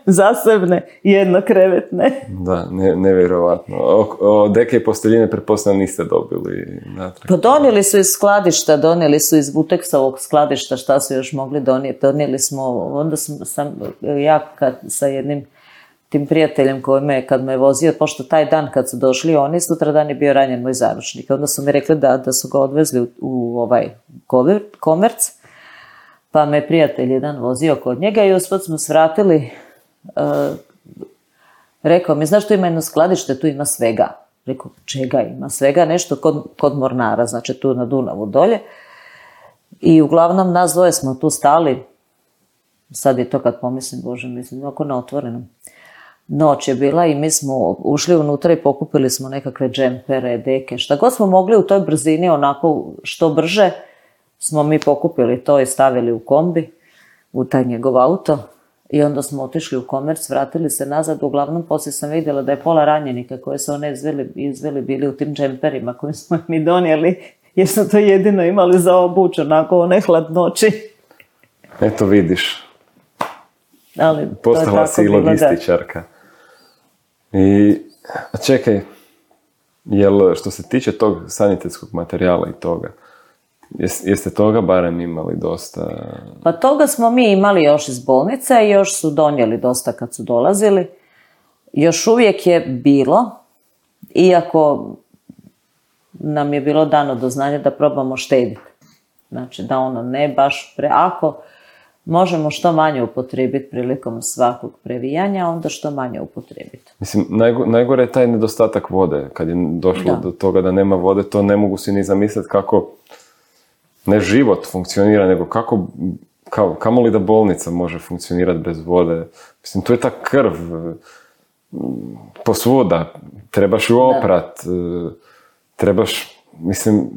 Zasebne, jednokrevetne. Da, ne, nevjerovatno. O, o deke i posteljine pretpostavljam niste dobili natrag. Pa donijeli su iz skladišta, donijeli su iz Vuteksovog skladišta, šta su još mogli donijeti. Donijeli smo, onda sam, sam ja kad, sa jednim tim prijateljem koji me, kad me vozio, pošto taj dan kad su došli oni, sutra dan je bio ranjen moj zaručnik. Onda su mi rekli da, da su ga odvezli u, u ovaj komerc, pa me prijatelj jedan vozio kod njega i usput smo svratili, uh, rekao mi, znaš, tu ima jedno skladište, tu ima svega. Rekao, čega ima? Svega nešto kod, kod Mornara, znači tu na Dunavu dolje. I uglavnom nas dvoje smo tu stali. Sad je to kad pomislim, Bože, mislim, ovako na otvorenom. Noć je bila i mi smo ušli unutra i pokupili smo nekakve džempere, deke. Šta god smo mogli u toj brzini, onako što brže, smo mi pokupili to i stavili u kombi, u taj njegov auto. I onda smo otišli u komerc, vratili se nazad. Uglavnom, poslije sam vidjela da je pola ranjenika koje su one izveli, izveli bili u tim džemperima koje smo mi donijeli, jer smo to jedino imali za obuć, onako one hladnoći. Eto vidiš. Ali postala si i logističarka. I, a čekaj, jel što se tiče tog sanitetskog materijala i toga, jeste toga barem imali dosta? Pa toga smo mi imali još iz bolnice i još su donijeli dosta kad su dolazili. Još uvijek je bilo, iako nam je bilo dano do znanja da probamo štediti. Znači da ono ne baš pre... Ako možemo što manje upotrijebiti prilikom svakog previjanja, onda što manje upotrijebiti. Mislim, najgo, najgore je taj nedostatak vode. Kad je došlo da. do toga da nema vode, to ne mogu si ni zamisliti kako ne život funkcionira, nego kako, kao, kamo li da bolnica može funkcionirati bez vode. Mislim, to je ta krv posvuda. Trebaš ju oprat. Da. Trebaš, mislim...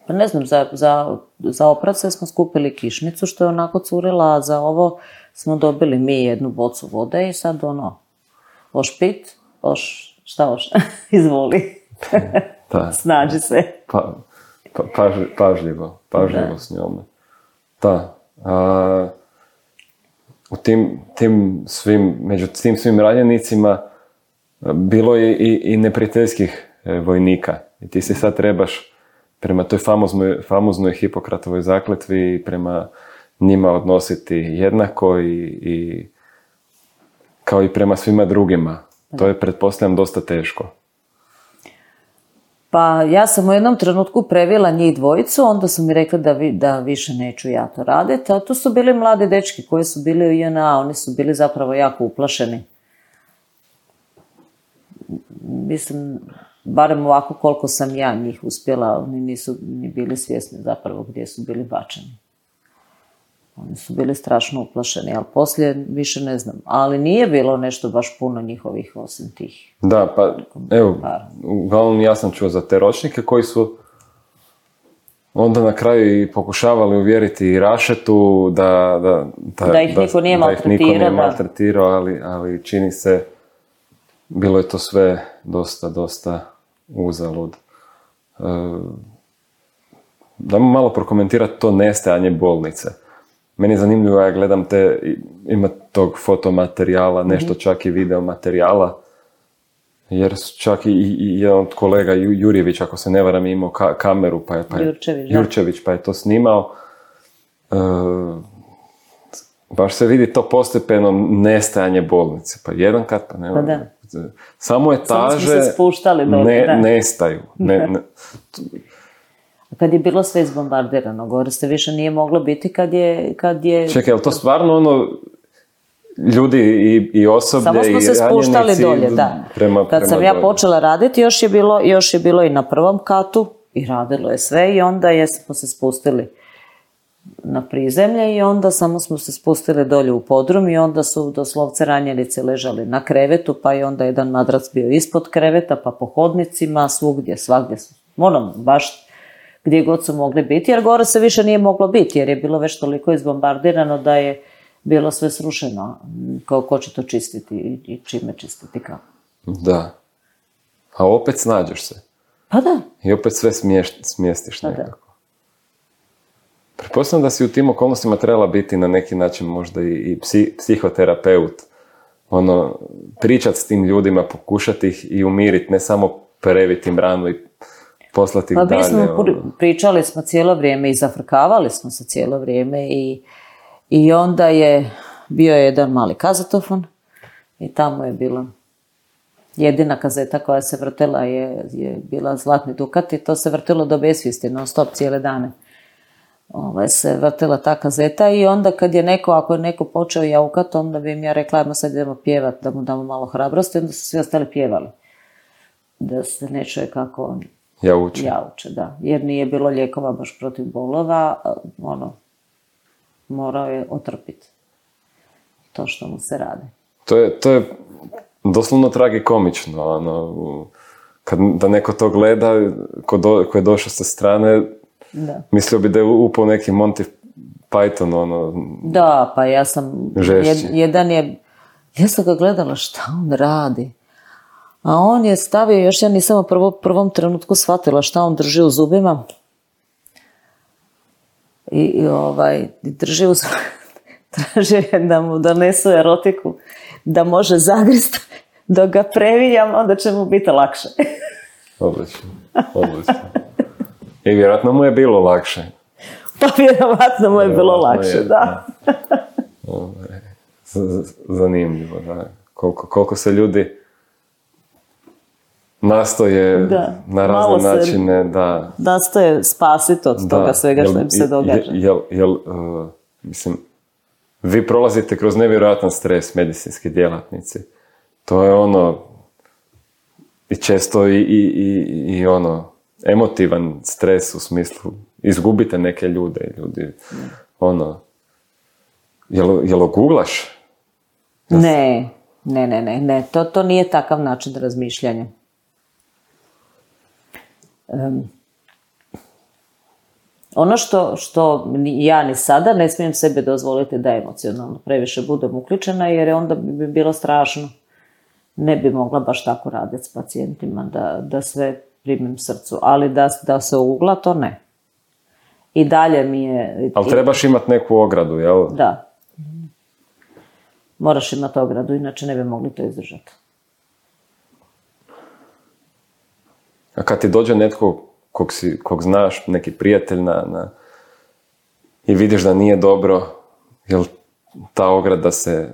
Pa ne znam, za, za, za oprace smo skupili kišnicu što je onako curila, a za ovo smo dobili mi jednu bocu vode i sad ono, oš pit, oš, šta oš, izvoli, da. Snađi se. Pa, pa, pažljivo, pažljivo, pažljivo s njome. Da. A, u tim, tim svim, među tim svim ranjenicima bilo je i, i neprijateljskih vojnika. I ti se sad trebaš prema toj famoznoj, famoznoj Hipokratovoj zakletvi prema njima odnositi jednako i, i kao i prema svima drugima. To je, pretpostavljam, dosta teško. Pa ja sam u jednom trenutku previla njih dvojicu, onda su mi rekli da, vi, da više neću ja to raditi, a tu su bili mladi dečki koji su bili u J N A, oni su bili zapravo jako uplašeni. Mislim... Barem ovako koliko sam ja njih uspjela, oni nisu ni bili svjesni zapravo gdje su bili bačeni. Oni su bili strašno uplašeni, ali poslije više ne znam. Ali nije bilo nešto baš puno njihovih osim tih. Da, pa evo, uglavnom ja sam čuo za te ročnike koji su onda na kraju i pokušavali uvjeriti i Rašetu da, da, da, da ih da, niko nije da ih niko nije maltretirao, ali, ali čini se, bilo je to sve dosta, dosta uzalud. E, da malo prokomentirati to nestajanje bolnice. Meni je zanimljivo, ja gledam te, ima tog fotomaterijala, nešto mm-hmm. čak i video materijala, jer čak i, i jedan od kolega, Jurjević, ako se ne varam, imao ka, kameru, pa je, pa je, Jurčević, Jurčević, pa je to snimao. E, baš se vidi to postepeno nestajanje bolnice. Pa jedan kat, pa ne pa da. Samo etaže Samo se spuštali dole, ne, da. nestaju. Ne, ne. Kad je bilo sve izbombardirano, gore se više nije moglo biti kad je... Kad je... Čekaj, je li to stvarno ono, ljudi i, i osoblje Samo smo i se spuštali dolje, da. Prema, kad prema sam ja dolje. počela raditi, još je, bilo, još je bilo i na prvom katu i radilo je sve i onda je, smo se spustili na prizemlje i onda samo smo se spustili dolje u podrum i onda su doslovce ranjenici ležali na krevetu, pa i onda jedan madrac bio ispod kreveta, pa po hodnicima, svugdje, svagdje su, ono, baš gdje god su mogli biti, jer gore se više nije moglo biti, jer je bilo već toliko izbombardirano da je bilo sve srušeno. Kao ko će to čistiti i, i čime čistiti kao. Da. A opet snađeš se. Pa da. I opet sve smješ, smjestiš pa nekako. Da. Pretpostavljam da si u tim okolnostima trebala biti na neki način možda i, i psi, psihoterapeut. Ono, pričat s tim ljudima, pokušati ih i umiriti, ne samo previti im ranu i poslati ih pa dalje. Pa mi smo ono. pričali smo cijelo vrijeme i zafrkavali smo se cijelo vrijeme i, i onda je bio je jedan mali kazetofon i tamo je bila jedina kazeta koja se vrtela je, je bila Zlatni Dukat i to se vrtelo do besvijesti, non stop cijele dane. Ovaj, se vrtela ta kazeta i onda kad je neko, ako je neko počeo jaukat, onda bi im ja rekla, ajmo sad idemo pjevat, da mu damo malo hrabrosti, onda su svi ostali pjevali. da se ne čuje kako on jauče. jauče, da. Jer nije bilo lijekova baš protiv bolova, ono, morao je otrpiti to što mu se radi. To je, to je doslovno tragikomično, ono, kad da neko to gleda, ko, do, ko je došao sa strane, da. Mislio bi da je upao neki Monty Python, ono... Da, pa ja sam... Jed, jedan je... Ja sam ga gledala šta on radi. A on je stavio, još ja nisam u prvo, prvom trenutku shvatila šta on drži u zubima. I, i ovaj, drži u zubima. Traži da mu donesu erotiku, da može zagrist, dok ga previnjam, onda će mu biti lakše. Odlično, odlično. I vjerojatno mu je bilo lakše. Pa vjerojatno mu je bilo lakše, je, da. Zanimljivo, da. Koliko, koliko se ljudi nastoje da, na razne načine, da... Nastoje spasiti od toga da, svega jel, što im se događa. Jel, jel, uh, mislim, vi prolazite kroz nevjerojatan stres, medicinski djelatnici. To je ono, i često i, i, i, i ono, emotivan stres u smislu, izgubite neke ljude, ljudi, ne. ono, jel, jel oguglaš? Ne, ne, ne, ne, ne. To, to nije takav način razmišljanja. Um, ono što, što ja ni sada ne smijem sebi dozvoliti da emocionalno previše budem uključena, jer onda bi bilo strašno. Ne bi mogla baš tako raditi s pacijentima, da, da sve primim srcu, ali da, da se ugla, to ne. I dalje mi je... Ali trebaš imati neku ogradu, jel? Da. Moraš imati ogradu, inače ne bi mogli to izdržati. A kad ti dođe netko kog, si, kog znaš, neki prijatelj na, na, i vidiš da nije dobro, jel ta ograda se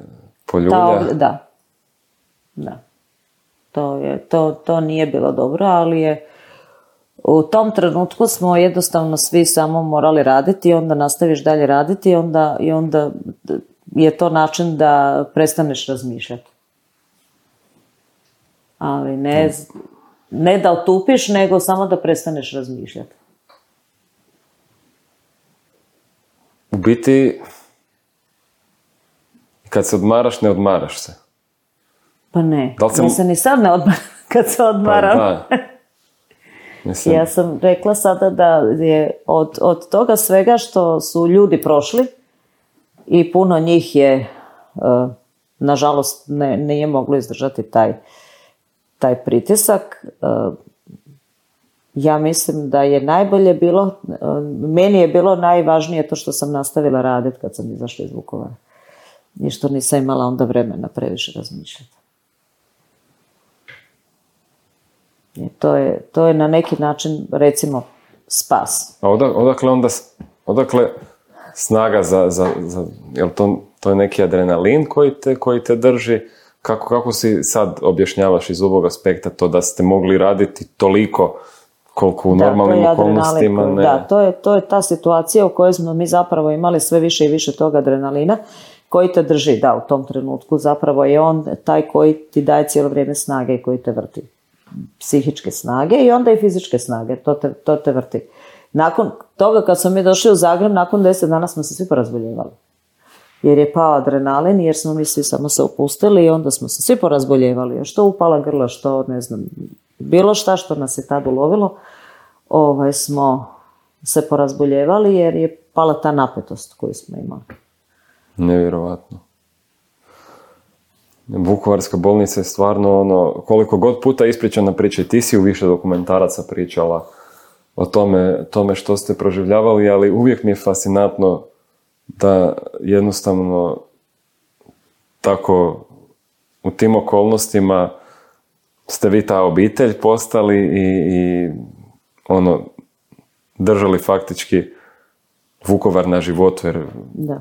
poljulja? Ta ograda, da. Da. To, je, to, to nije bilo dobro, ali je u tom trenutku smo jednostavno svi samo morali raditi i onda nastaviš dalje raditi i onda, i onda je to način da prestaneš razmišljati. Ali ne, ne da otupiš, nego samo da prestaneš razmišljati. U biti, kad se odmaraš, ne odmaraš se. Pa ne, da sam... ja se ni sad ne odmaram kad se odmaram. Pa da. Mislim... Ja sam rekla sada da je od, od toga svega što su ljudi prošli i puno njih je, uh, nažalost, ne, nije moglo izdržati taj, taj pritisak. Uh, ja mislim da je najbolje bilo, uh, meni je bilo najvažnije to što sam nastavila raditi kad sam izašla iz Vukovara. I što nisam imala onda vremena previše razmišljati. I to je, to je na neki način, recimo, spas. A odakle onda, odakle snaga za, za, za jel to, to je neki adrenalin koji te, koji te drži? Kako, kako si sad objašnjavaš iz ovog aspekta to da ste mogli raditi toliko koliko u da, normalnim okolnostima? Ne... Da, to je, to je ta situacija u kojoj smo mi zapravo imali sve više i više tog adrenalina koji te drži, da, u tom trenutku zapravo je on taj koji ti daje cijelo vrijeme snage i koji te vrti. Psihičke snage i onda i fizičke snage, to te, to te vrti. Nakon toga kad smo mi došli u Zagreb, nakon deset dana smo se svi porazboljevali. Jer je pao adrenalin, jer smo mi svi samo se opustili i onda smo se svi porazboljevali. Što upala grla, što ne znam, bilo šta što nas je tad ulovilo, ovaj, smo se porazboljevali jer je pala ta napetost koju smo imali. Nevjerovatno. Vukovarska bolnica je stvarno ono, koliko god puta ispričana priča, i ti si u više dokumentaraca pričala o tome, tome što ste proživljavali, ali uvijek mi je fascinantno da jednostavno tako u tim okolnostima ste vi ta obitelj postali i, i ono, držali faktički Vukovar na životu, jer da.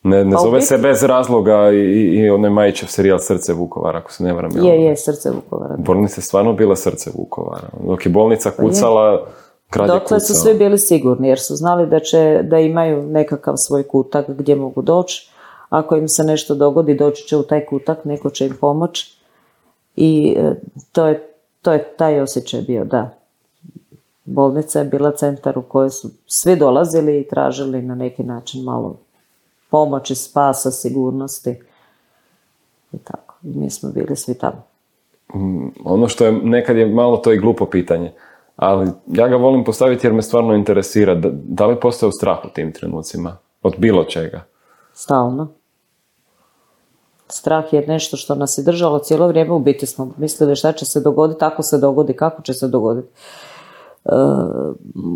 Ne, ne zove se bez razloga i, i onaj Majićev serijal Srce Vukovara, ako se ne varam. Je, je, Srce Vukovara. Bolnica je stvarno bila Srce Vukovara. Dok je bolnica kucala, grad je kucao. Dokle su svi bili sigurni, jer su znali da će, da imaju nekakav svoj kutak gdje mogu doći. Ako im se nešto dogodi, doći će u taj kutak, neko će im pomoći. I to je, to je taj osjećaj bio, da. Bolnica je bila centar u kojoj su svi dolazili i tražili na neki način malo pomoći, spasa, sigurnosti. I tako. I mi smo bili svi tamo. Mm, ono što je, nekad je malo to i glupo pitanje, ali ja ga volim postaviti jer me stvarno interesira. Da, da li postoje strah u tim trenucima? Od bilo čega? Stalno. Strah je nešto što nas je držalo cijelo vrijeme. U biti smo mislili šta će se dogoditi, ako se dogodi, kako će se dogoditi. E,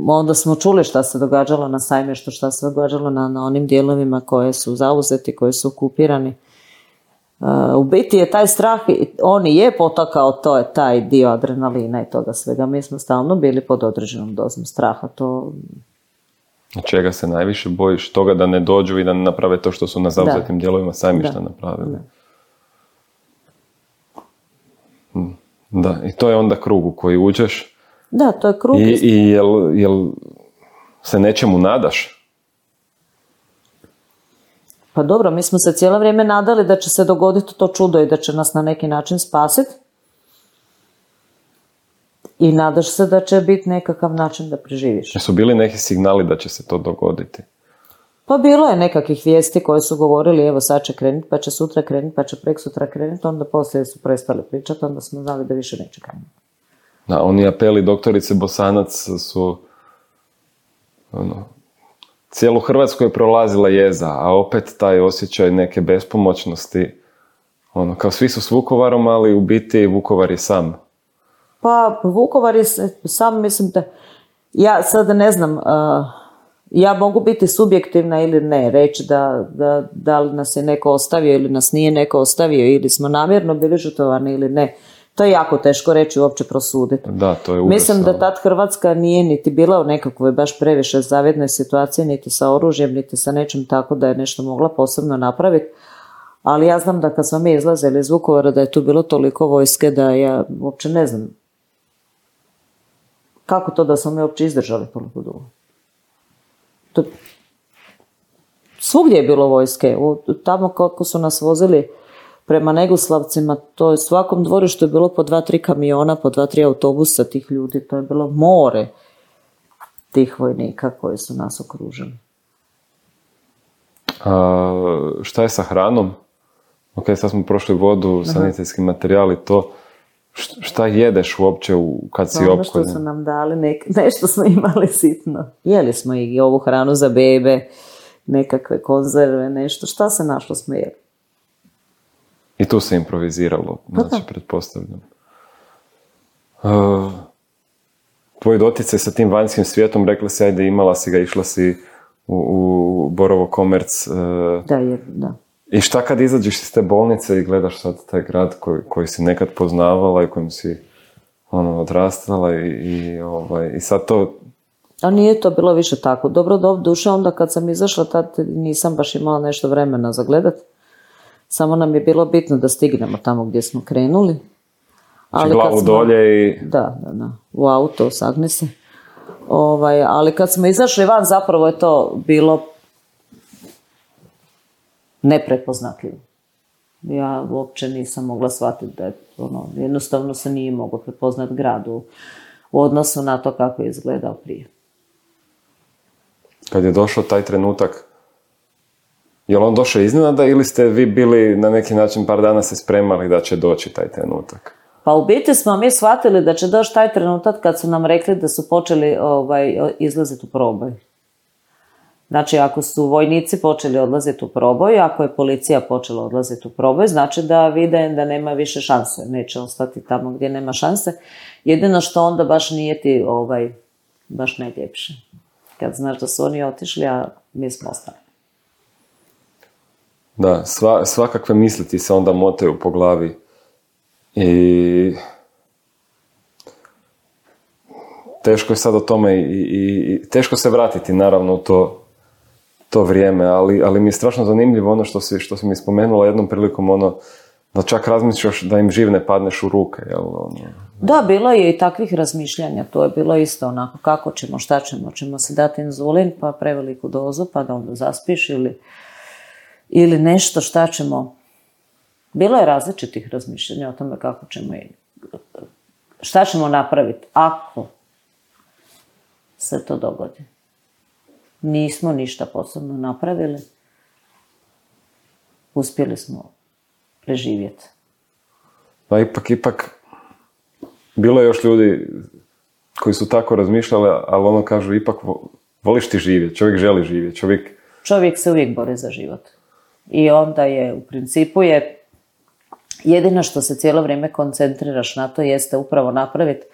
onda smo čuli šta se događalo na Sajmištu, šta se događalo na, na onim dijelovima koje su zauzeti, koje su okupirani. E, u biti je taj strah, on je potakao, to je taj dio adrenalina i toga svega. Mi smo stalno bili pod određenom dozom straha. To... Čega se najviše bojiš? Toga da ne dođu i da ne naprave to što su na zauzetim dijelovima Sajmišta da. napravili. Da. da, i to je onda krug u koji uđeš. Da, to je krug. I, i jel, jel se nečemu nadaš? Pa dobro, mi smo se cijelo vrijeme nadali da će se dogoditi to čudo i da će nas na neki način spasiti. I nadaš se da će biti nekakav način da preživiš. Jesu bili neki signali da će se to dogoditi? Pa bilo je nekakvih vijesti koje su govorili evo sad će krenuti, pa će sutra krenuti, pa će prek sutra krenuti, onda poslije su prestali pričati, onda smo znali da više neće krenuti. Da, oni apeli doktorice Bosanac su ono, cijelu Hrvatsku je prolazila jeza, a opet taj osjećaj neke bespomoćnosti, ono, kao svi su s Vukovarom, ali u biti Vukovar je sam. Pa Vukovar je sam, mislim da, ja sad ne znam, uh, ja mogu biti subjektivna ili ne, reći da, da, da li nas je neko ostavio ili nas nije neko ostavio ili smo namjerno bili žrtvovani ili ne. To je jako teško reći, uopće prosuditi. Da, to je mislim da tad Hrvatska nije niti bila u nekakvoj baš previše zavidnoj situaciji, niti sa oružjem, niti sa nečim tako da je nešto mogla posebno napraviti. Ali ja znam da kad smo mi izlazili iz Vukovara da je tu bilo toliko vojske da ja uopće ne znam kako to da smo mi uopće izdržali toliko dugo. To... Svugdje je bilo vojske. Tamo kako su nas vozili prema Negoslavcima, to je svakom dvorištu je bilo po dva, tri kamiona, po dva, tri autobusa tih ljudi. To je bilo more tih vojnika koji su nas okružili. A, šta je sa hranom? Ok, sad smo prošli vodu, sanitetski materijali, to... Šta jedeš uopće u, kad si opkoljen? Ono što su nam dali, nek, nešto smo imali sitno. Jeli smo i ovu hranu za bebe, nekakve konzerve, nešto. Šta se našlo smo jeli? I tu se improviziralo, Pa znači, pretpostavljam. Uh, tvoj doticaj sa tim vanjskim svijetom, rekla si, ajde, imala si ga, išla si u, u Borovo Komerc. Uh, da, je, da. I šta kad izađeš iz te bolnice i gledaš sad taj grad koji, koji si nekad poznavala i kojim si ono, odrastala i, i, ovaj, i sad to... A nije to bilo više tako. Dobro, do duše, onda kad sam izašla, tad nisam baš imala nešto vremena za gledat. Samo nam je bilo bitno da stignemo tamo gdje smo krenuli. Ali glavu smo, dolje i... Da, da, da. U auto, sagni se. Ovaj, ali kad smo izašli van, zapravo je to bilo neprepoznatljivo. Ja uopće nisam mogla shvatiti da je ono, jednostavno se nije moglo prepoznati grad u, u odnosu na to kako je izgledao prije. Kad je došao taj trenutak, je li on došao iznenada ili ste vi bili na neki način par dana se spremali da će doći taj trenutak? Pa u biti smo mi shvatili da će doći taj trenutak kad su nam rekli da su počeli ovaj, izlaziti u proboj. Znači, ako su vojnici počeli odlaziti u proboj, ako je policija počela odlaziti u proboj, znači da vide da nema više šanse, neće ostati tamo gdje nema šanse. Jedino što onda baš nije ti ovaj, baš najljepše. Kad znaš da su oni otišli, a mi smo ostali. Da, sva, svakakve misli ti se onda motaju po glavi. I teško je sad o tome i, i, i teško se vratiti naravno u to to vrijeme, ali, ali mi je strašno zanimljivo ono što si, što si mi spomenula jednom prilikom, ono, da čak razmišljaš da im živ ne padneš u ruke, jel? Ono... Da, bilo je i takvih razmišljanja, to je bilo isto onako, kako ćemo, šta ćemo, ćemo se dati inzulin, pa preveliku dozu, pa da onda zaspiš ili, ili nešto, šta ćemo. Bilo je različitih razmišljanja o tome kako ćemo i šta ćemo napraviti ako se to dogodi? Nismo ništa posebno napravili. Uspjeli smo preživjeti. Pa ipak, ipak, bilo je još ljudi koji su tako razmišljali, ali ono kažu, ipak voliš ti živjeti, čovjek želi živjeti, čovjek... Čovjek se uvijek bori za život. I onda je, u principu je, jedino što se cijelo vrijeme koncentriraš na to jeste upravo napraviti,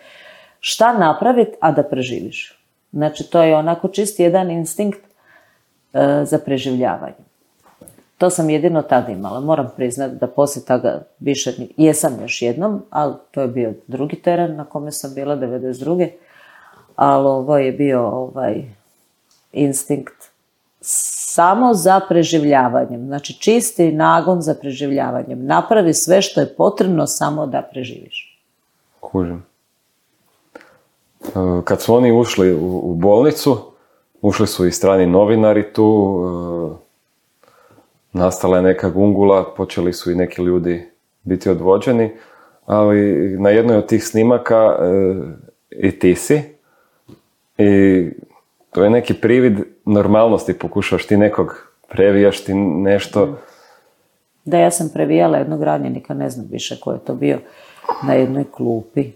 šta napraviti, a da preživiš. Znači, to je onako čist jedan instinkt e, za preživljavanje. To sam jedino tada imala. Moram priznati da poslije toga više jesam još jednom, ali to je bio drugi teren na kome sam bila devedeset druge. Ali ovo je bio ovaj instinkt samo za preživljavanjem. Znači čisti nagon za preživljavanjem. Napravi sve što je potrebno samo da preživiš. Kužim. Kad su oni ušli u bolnicu, ušli su i strani novinari tu, nastala je neka gungula, počeli su i neki ljudi biti odvođeni, ali na jednoj od tih snimaka i ti si, i to je neki privid normalnosti, pokušaš ti nekog, previjaš ti nešto. Da, ja sam previjala jednog ranjenika, ne znam više ko je to bio, na jednoj klupi.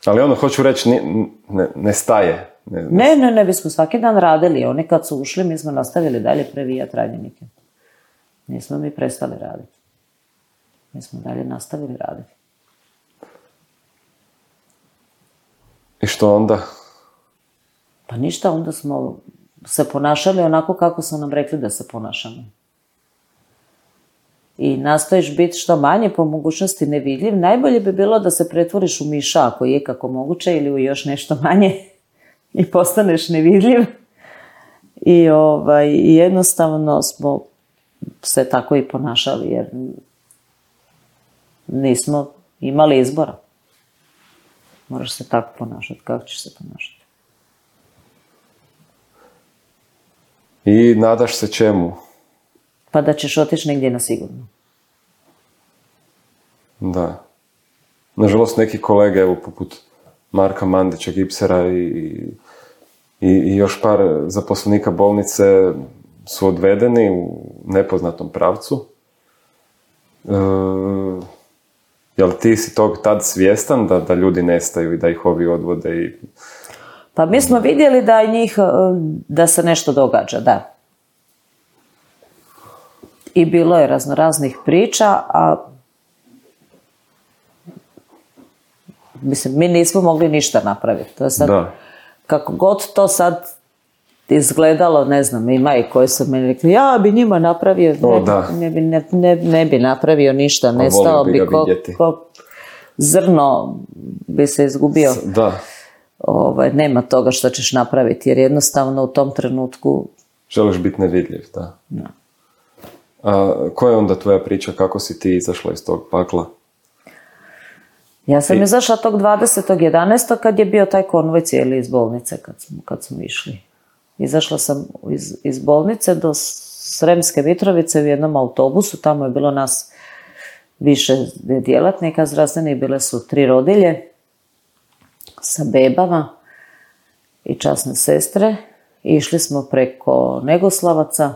Ali ono, hoću reći, ne, ne, ne staje. Ne, ne, ne, ne, bismo svaki dan radili. Oni kad su ušli, mi smo nastavili dalje previjati ranjenike. Nismo mi prestali raditi. Mi smo dalje nastavili raditi. I što onda? Pa ništa, onda smo se ponašali onako kako su nam rekli da se ponašamo. I nastojiš biti što manje, po mogućnosti nevidljiv. Najbolje bi bilo da se pretvoriš u miša, ako je kako moguće, ili u još nešto manje i postaneš nevidljiv. I ovaj, jednostavno smo se tako i ponašali, jer nismo imali izbora. Moraš se tako ponašati, kako ćeš se ponašati. I nadaš se čemu? Pa da ćeš otići negdje na sigurno. Da. Nažalost, neki kolege, evo, poput Marka Mandića, Gipsera i, i, i još par zaposlenika bolnice su odvedeni u nepoznatom pravcu. E, jel ti si tog tad svjestan da, da ljudi nestaju i da ih ovi odvode? I... Pa mi smo vidjeli da njih, da se nešto događa, da. I bilo je raznoraznih priča, a mislim, mi nismo mogli ništa napraviti. To je sad, da. Kako god to sad izgledalo, ne znam, ima i koji su meni rekli, ja bi njima napravio, o, ne, ne, bi, ne, ne, ne bi napravio ništa, nestao bi, bi ko, ko zrno bi se izgubio. Da. Ovaj, nema toga što ćeš napraviti, jer jednostavno u tom trenutku... Želiš biti nevidljiv, da. Da. A koja je onda tvoja priča, kako si ti izašla iz tog pakla? Ja sam I... izašla tog dvadesetog jedanaestog kad je bio taj konvoj cijeli iz bolnice, kad smo, kad smo išli. Izašla sam iz, iz bolnice do Sremske Mitrovice u jednom autobusu, tamo je bilo nas više djelatnika zdravstvenih, bile su tri rodilje sa bebama i časne sestre. I išli smo preko Negoslavaca.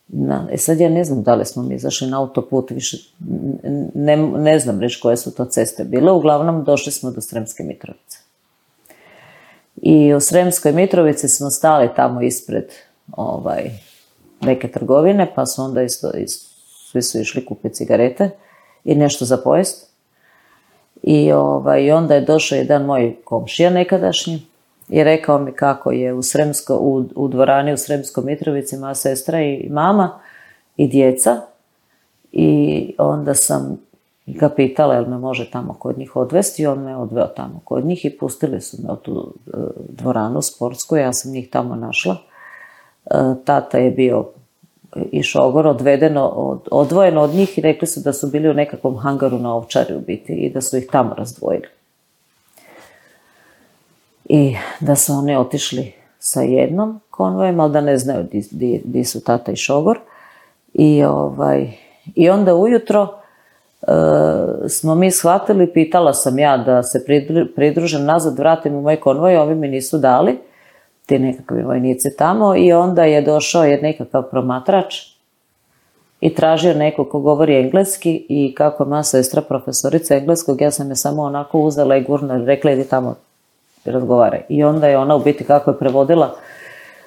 Na, e sad ja ne znam da li smo mi izašli na autoput, više ne, ne znam reći koje su to ceste bile. Uglavnom došli smo do Sremske Mitrovice. I u Sremskoj Mitrovici smo stali tamo ispred ovaj, neke trgovine, pa su onda isto, isto, svi su išli kupiti cigarete i nešto za pojest. I ovaj, onda je došao jedan moj komšija nekadašnji i rekao mi kako je u, Sremsko, u, u dvorani u Sremskoj Mitrovici moja sestra i mama i djeca. I onda sam ga pitala jel me može tamo kod njih odvesti i on me odveo tamo kod njih i pustili su me u tu dvoranu sportsku, ja sam njih tamo našla. Tata je bio i šogor odvedeno, od, odvojeno od njih i rekli su da su bili u nekakvom hangaru na Ovčari u biti i da su ih tamo razdvojili. I da su oni otišli sa jednom konvojem, ali da ne znaju di, di su tata i šogor. I, ovaj, i onda ujutro smo mi shvatili, pitala sam ja da se pridružem nazad, vratim u moj konvoj, ovi mi nisu dali, ti nekakvi vojnici tamo, i onda je došao je nekakav promatrač i tražio neko ko govori engleski, i kako je moja sestra profesorica engleskog, ja sam je samo onako uzela i gurnula i rekla idi tamo i razgovaraj. I onda je ona u biti kako je prevodila,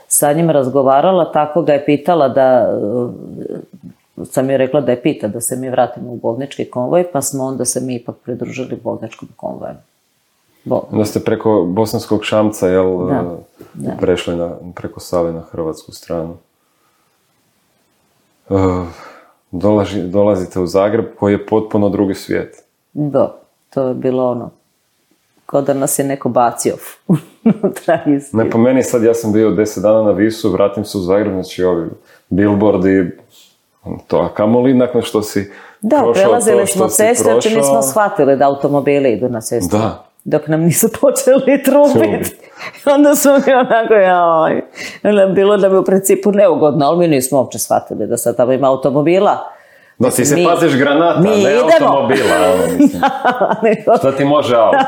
sa njim razgovarala, tako ga je pitala da, sam joj rekla da je pita da se mi vratimo u bolnički konvoj, pa smo onda se mi ipak pridružili bolničkom konvoju. Bol. Onda ste preko Bosanskog Šamca, jel, da, da. prešli na, preko Save na hrvatsku stranu. Uh, dolazi, dolazite u Zagreb koji je potpuno drugi svijet. Da, to je bilo ono, kao da nas je neko bacio unutra. Ne, po meni sad, ja sam bio deset dana na Visu, vratim se u Zagreb, znači ovi billboardi, to, a kamoli nakon što si da, prošao prelazili to što smo cestu, uopće nismo shvatili da automobili idu na cestu. Da. Dok nam nisu počeli trubiti. Onda smo mi onako, joj, bilo da bi u principu neugodno, ali mi nismo uopće shvatili da sad tamo ima automobila. Da, ti se mi, paziš granata, ne idemo. Automobila. Ono, mislim. Šta ti može auto?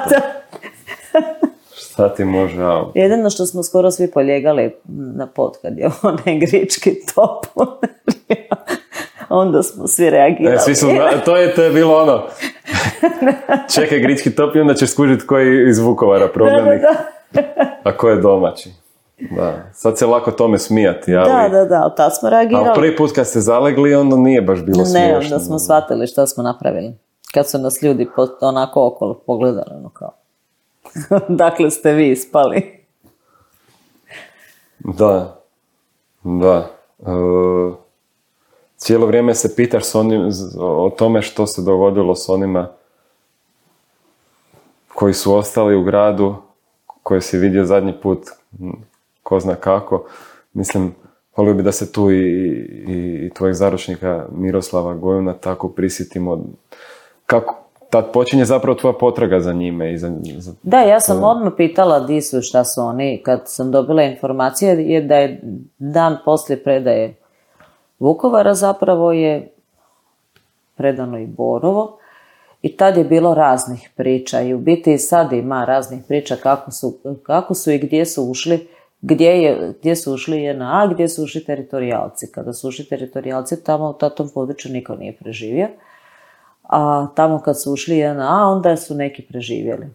Šta ti može auto? Jedino što smo skoro svi poljegali na pod kad je onaj grički top. Onda smo svi reagirali. E, svi su, to, je, to je bilo ono, čekaj grički top i onda ćeš skužiti koji je iz Vukovara prognanik, da, da, da. A ko je domaći. Da. Sad se lako tome smijati, ali... Da, da, da, tad smo reagirali. Ali prvi put kad ste zalegli, onda nije baš bilo smiješno. Ne, onda smo shvatili što smo napravili. Kad su nas ljudi onako okolo pogledali, ono kao, dakle ste vi ispali. Da, da. Uh... Cijelo vrijeme se pitaš s onim, o tome što se dogodilo s onima koji su ostali u gradu, koje si vidio zadnji put, ko zna kako. Mislim, volio bi da se tu i, i, i tvojeg zaručnika Miroslava Gojuna tako prisjetimo. Kako, tad počinje zapravo tvoja potraga za njime. I za, za... Da, ja sam odmah pitala di su, šta su oni. Kad sam dobila informacije, je da je dan poslije predaje Vukovara zapravo je predano i Borovo, i tad je bilo raznih priča, i u biti sad ima raznih priča kako su, kako su i gdje su ušli, gdje, je, gdje su ušli J N A, gdje su ušli teritorijalci. Kada su ušli teritorijalci, tamo u tom području niko nije preživio, a tamo kad su ušli J N A, onda su neki preživjeli.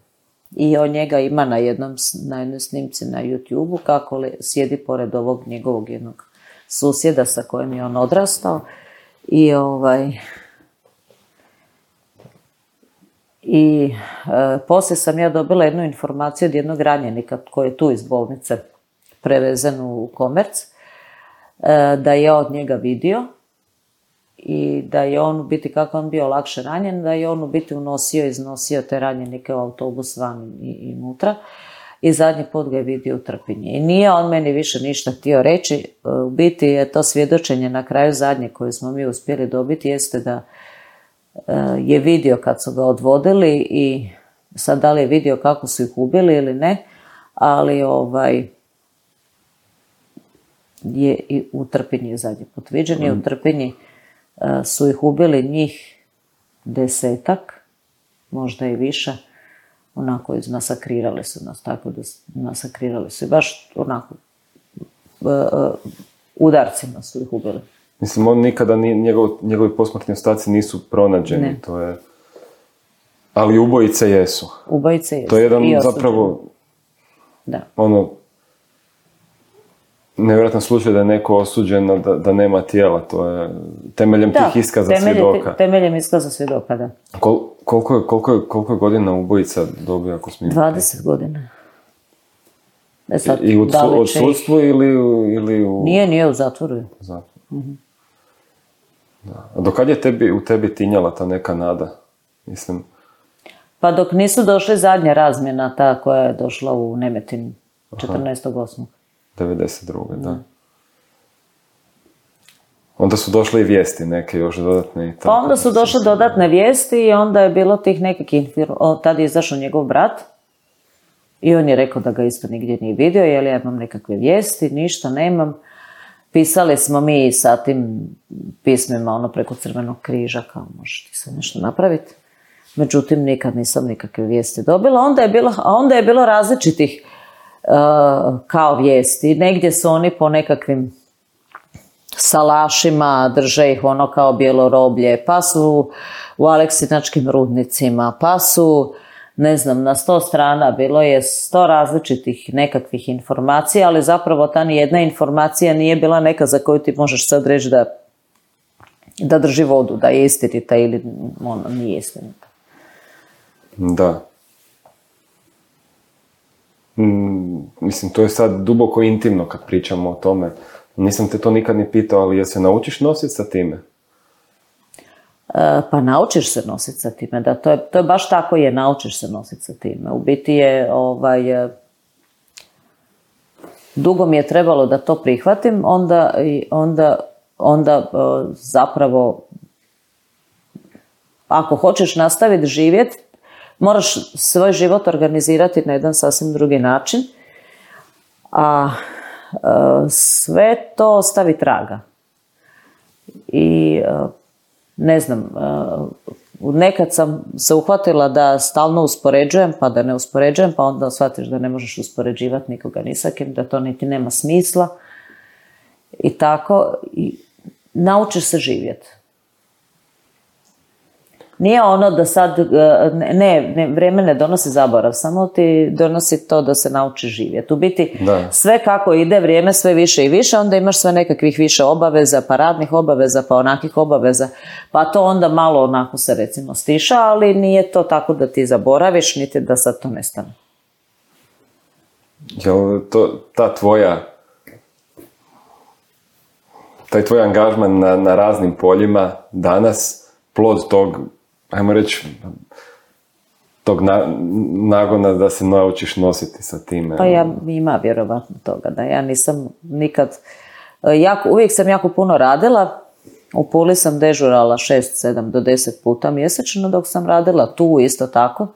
I on njega ima na jednom, na jednoj snimci na YouTube-u kako li, sjedi pored ovog njegovog jednog susjeda sa kojim je on odrastao, i ovaj i e, poslije sam ja dobila jednu informaciju od jednog ranjenika koji je tu iz bolnice prevezen u Komerc, e, da je od njega vidio i da je on u biti, kako on bio lakše ranjen, da je on u biti unosio i iznosio te ranjenike u autobus van i, i unutra. I zadnji put ga je vidio u Trpinji. I nije on meni više ništa htio reći. U biti je to svjedočenje na kraju zadnje koje smo mi uspjeli dobiti, jeste da je vidio kad su ga odvodili, i sad da li je vidio kako su ih ubili ili ne, ali ovaj je i u Trpinji zadnji put viđen, i u Trpinji su ih ubili njih desetak, možda i više. Onako, masakrirali su nas, tako da masakrirali su i baš onako uh, uh, udarcima su ih ubili. Mislim, on nikada, nije, njegov, njegovi posmrtni ostaci nisu pronađeni, ne. To je... Ali ubojice jesu. Ubojice jesu. To je jedan zapravo, da. Ono, nevjerojatan slučaj da je neko osuđen da, da nema tijela, to je temeljem da, tih iskaza temelje, svjedoka. Temeljem iskaza svjedoka, da. Kol, koliko, je, koliko, je, koliko je godina ubojica dobio, ako smijem? dvadeset godina. E sad, I, i u odsudstvu ili, ili u... Nije, nije u zatvoru. Zatvor. Mm-hmm. Da. A dokad je tebi, u tebi tinjala ta neka nada? Mislim... Pa dok nisu došli zadnja razmjena, ta koja je došla u Nemetin četrnaestog osmog devedeset druge da. Mm. Onda su došle i vijesti neke još dodatne. I tako. Pa onda su došle dodatne vijesti i onda je bilo tih nekakvih... Tad je izašao njegov brat i on je rekao da ga isto nigdje nije vidio, jer ja imam nekakve vijesti, ništa nemam. pisali smo mi sa tim pismima ono preko Crvenog križa, kao možeš ti sad nešto napraviti. Međutim, nikad nisam nikakve vijesti dobila. Onda je bilo, a onda je bilo različitih uh, kao vijesti. Negdje su oni po nekakvim salašima, drže ih ono kao bijelo roblje, pa su u Aleksinačkim rudnicima, pa su, ne znam, na sto strana bilo je sto različitih nekakvih informacija, ali zapravo ta nijedna informacija nije bila neka za koju ti možeš sad reći da, da drži vodu, da je istinita ili ono, nije istinita. Da. Mm, mislim, to je sad duboko intimno kad pričamo o tome. Nisam te to nikad ni pitao, ali jel se naučiš nositi sa time? E, pa naučiš se nositi sa time, da, to je, to je baš tako je, naučiš se nositi sa time. U biti je, ovaj, dugo mi je trebalo da to prihvatim, onda, onda, onda zapravo, ako hoćeš nastaviti živjeti, moraš svoj život organizirati na jedan sasvim drugi način, a sve to ostavi traga. I ne znam, nekad sam se uhvatila da stalno uspoređujem, pa da ne uspoređujem, pa onda shvatiš da ne možeš uspoređivati nikoga ni sa kim, da to niti nema smisla. I tako, i naučiš se živjeti. Nije ono da sad, ne, ne, vrijeme ne donosi zaborav, samo ti donosi to da se nauči živjeti. U biti da. Sve kako ide vrijeme sve više i više, onda imaš sve nekakvih više obaveza, pa radnih obaveza, pa onakih obaveza, pa to onda malo onako se recimo stiša, ali nije to tako da ti zaboraviš, niti da sad to nestane. Jel to, ta tvoja, taj tvoj angažman na, na raznim poljima danas, plod tog, ajmo reći, tog na, nagona da se naučiš nositi sa time. Pa ja, ima vjerovatno toga, da ja nisam nikad, jako, uvijek sam jako puno radila, u Puli sam dežurala šest, sedam do deset puta mjesečno dok sam radila, tu isto tako.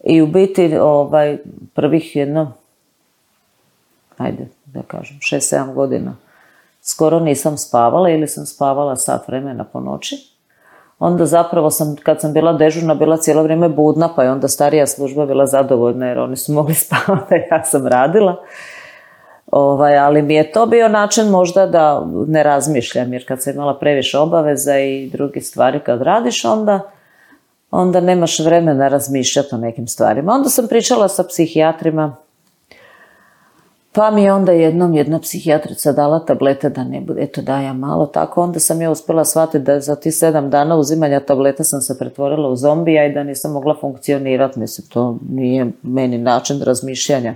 I u biti ovaj, prvih jedno, ajde da kažem, šest, sedam godina, skoro nisam spavala ili sam spavala sat vremena po noći. Onda zapravo sam, kad sam bila dežurna, bila cijelo vrijeme budna, pa je onda starija služba bila zadovoljna jer oni su mogli spavati, ja sam radila. Ovaj, ali mi je to bio način možda da ne razmišljam, jer kad sam imala previše obaveza i druge stvari kad radiš, onda, onda nemaš vremena razmišljati o nekim stvarima. Onda sam pričala sa psihijatrima, pa mi je onda jednom jedna psihijatrica dala tablete da ne bude, eto da ja malo tako, onda sam ja uspjela shvatiti da za ti sedam dana uzimanja tableta sam se pretvorila u zombija i da nisam mogla funkcionirati, mislim, to nije meni način razmišljanja.